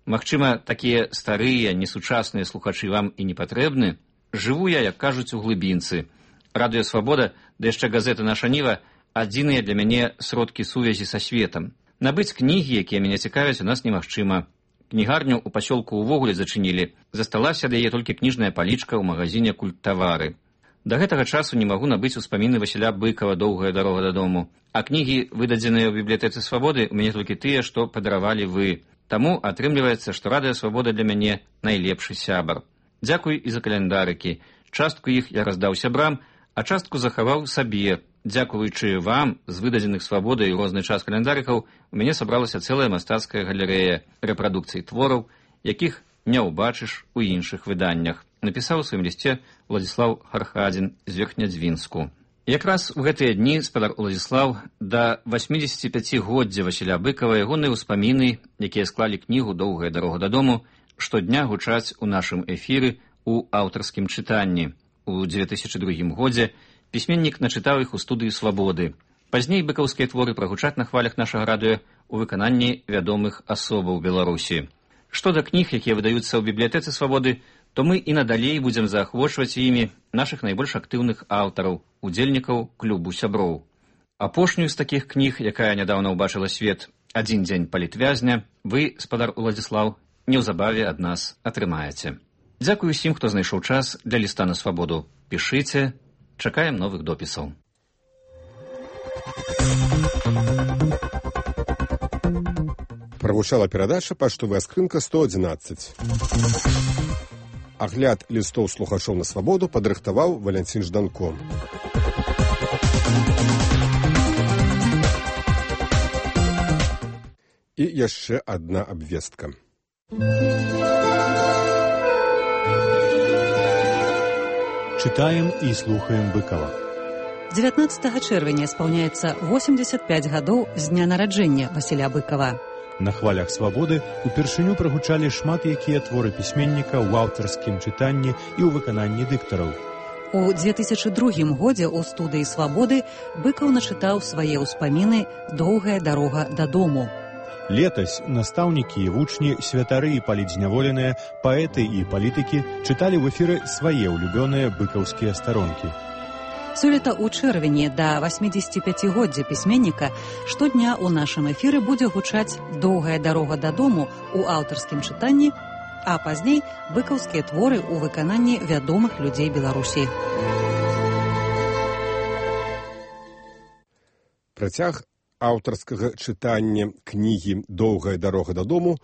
Магчыма, такія старыя, несучасныя слухачы вам і не патрэбны. Жыву я, як кажуць, у глыбінцы. Радыё Свабода, да яшчэ газета «Наша Ніва» адзіныя для мяне сродкі сувязі са светам. Набыць кнігі, якія мяне цікавяць, у нас немагчыма. Кнігарню ў пасёлку ўвогуле зачынілі. Засталася ад яе толькі кніжная палічка ў магазине «Культтавары». Да гэтага часу не магу набыць успаміны Васіля Быкава «Доўгая дарога дадому». А кнігі, выдадзеныя ў бібліятэцы Свабоды, у мяне толькі тыя, што падаравалі вы. Таму атрымліваецца, што Радыё Свабода для мяне найлепшы сябар. Дзякуй і за каляндарыкі. Частку іх я раздаў сябрам, а частку захаваў сабе. Дзякуючы вам, з выдадзеных Свабодай у розны час каляндарыкаў, у мяне сабралася цэлая мастацкая галерэя рэпрадукцый твораў, якіх не ўбачыш у іншых выданнях, напісаў у сваім лісце Уладзіслаў Хархадзін з Верхнядзвінску. Якраз у гэтыя дні спадар Уладзіслаў да восьмідзесятіпяцігоддзя Васіля Быкава ягоныя ўспаміны, якія склалі кнігу «Доўгая дарога дадому», штодня гучаць у нашым эфіры у аўтарскім чытанні. У дзве тысячы другім годзе пісьменнік начытаў іх у студыі Свабоды. Пазней быкаўскія творы прагучаць на хвалях нашага радыё у выкананні вядомых асобаў Беларусі. Што да кніг, якія выдаюцца ў бібліятэцы Свабоды, то мы і надалей будзем заахвочваць імі нашых найбольш актыўных аўтараў, удзельнікаў клубу сяброў. Апошнюю з такіх кніг, якая нядаўна ўбачыла свет, «Адзін дзень палітвязня», вы, спадар Уладзіслаў, неўзабаве ад нас атрымаеце. Дзякую усім, хто знайшоў час для ліста на Свабоду. Пішыце, чакаем новых допісаў. Прагучала перадача «Паштовая скрынка сто адзінаццаць». Агляд лістоў слухачоў на Свабоду падрыхтаваў Валянцін Жданко. І яшчэ адна абвестка. Чытаем і слухаем Быкава. дзевятнаццатага чэрвеня спаўняецца восемьдесят пять гадоў з дня нараджэння Васіля Быкава. На хвалях Свабоды упершыню прагучалі шмат якія творы пісьменніка ў аўтарскім чытанні і ў выкананні дыктараў. У две тысячы другім годзе ў студыі Свабоды Быкаў начытаў свае ўспаміны «Доўгая дарога дадому». Летась настаўнікі і вучні, святары і палітзняволеныя, паэты і палітыкі чыталі ў эфіры свае ўлюбёныя быкаўскія старонкі. Сёлета ў чэрвені да восьмідзесяціпяцігоддзя пісьменніка штодня ў нашым эфіры будзе гучаць «Доўгая дарога дадому» у аўтарскім чытанні, а пазней быкаўскія творы ў выкананні вядомых людзей Беларусі. Працяг аўтарскага чытання кнігі «Доўгая дарога дадому»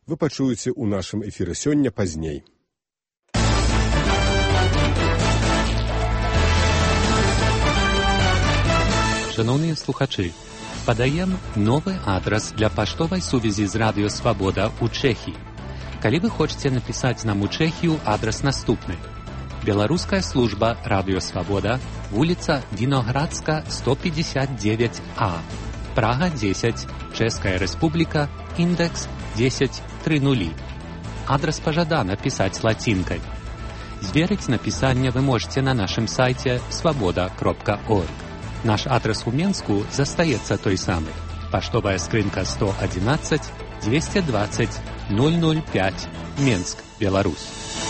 вы пачуеце ў нашым эфіры сёння пазней. Шановні слухачі, подаємо новий адрес для поштової сувязі з Радіо Свобода у Чехії. Коли ви хочете написати нам у Чехію, адрес наступний. Белорусская служба Радио Свобода, улица Виноградска, сто пятьдесят девять А, Прага десять, Чешская Республика, индекс десять тридцать. Адрес пожадано писать латинкой. Зверить написание вы можете на нашем сайте свобода точка орг. Наш адрес у Менску застаецца той самый. Поштовая скрынка сто одиннадцать двести двадцать ноль ноль пять, Менск, Беларусь.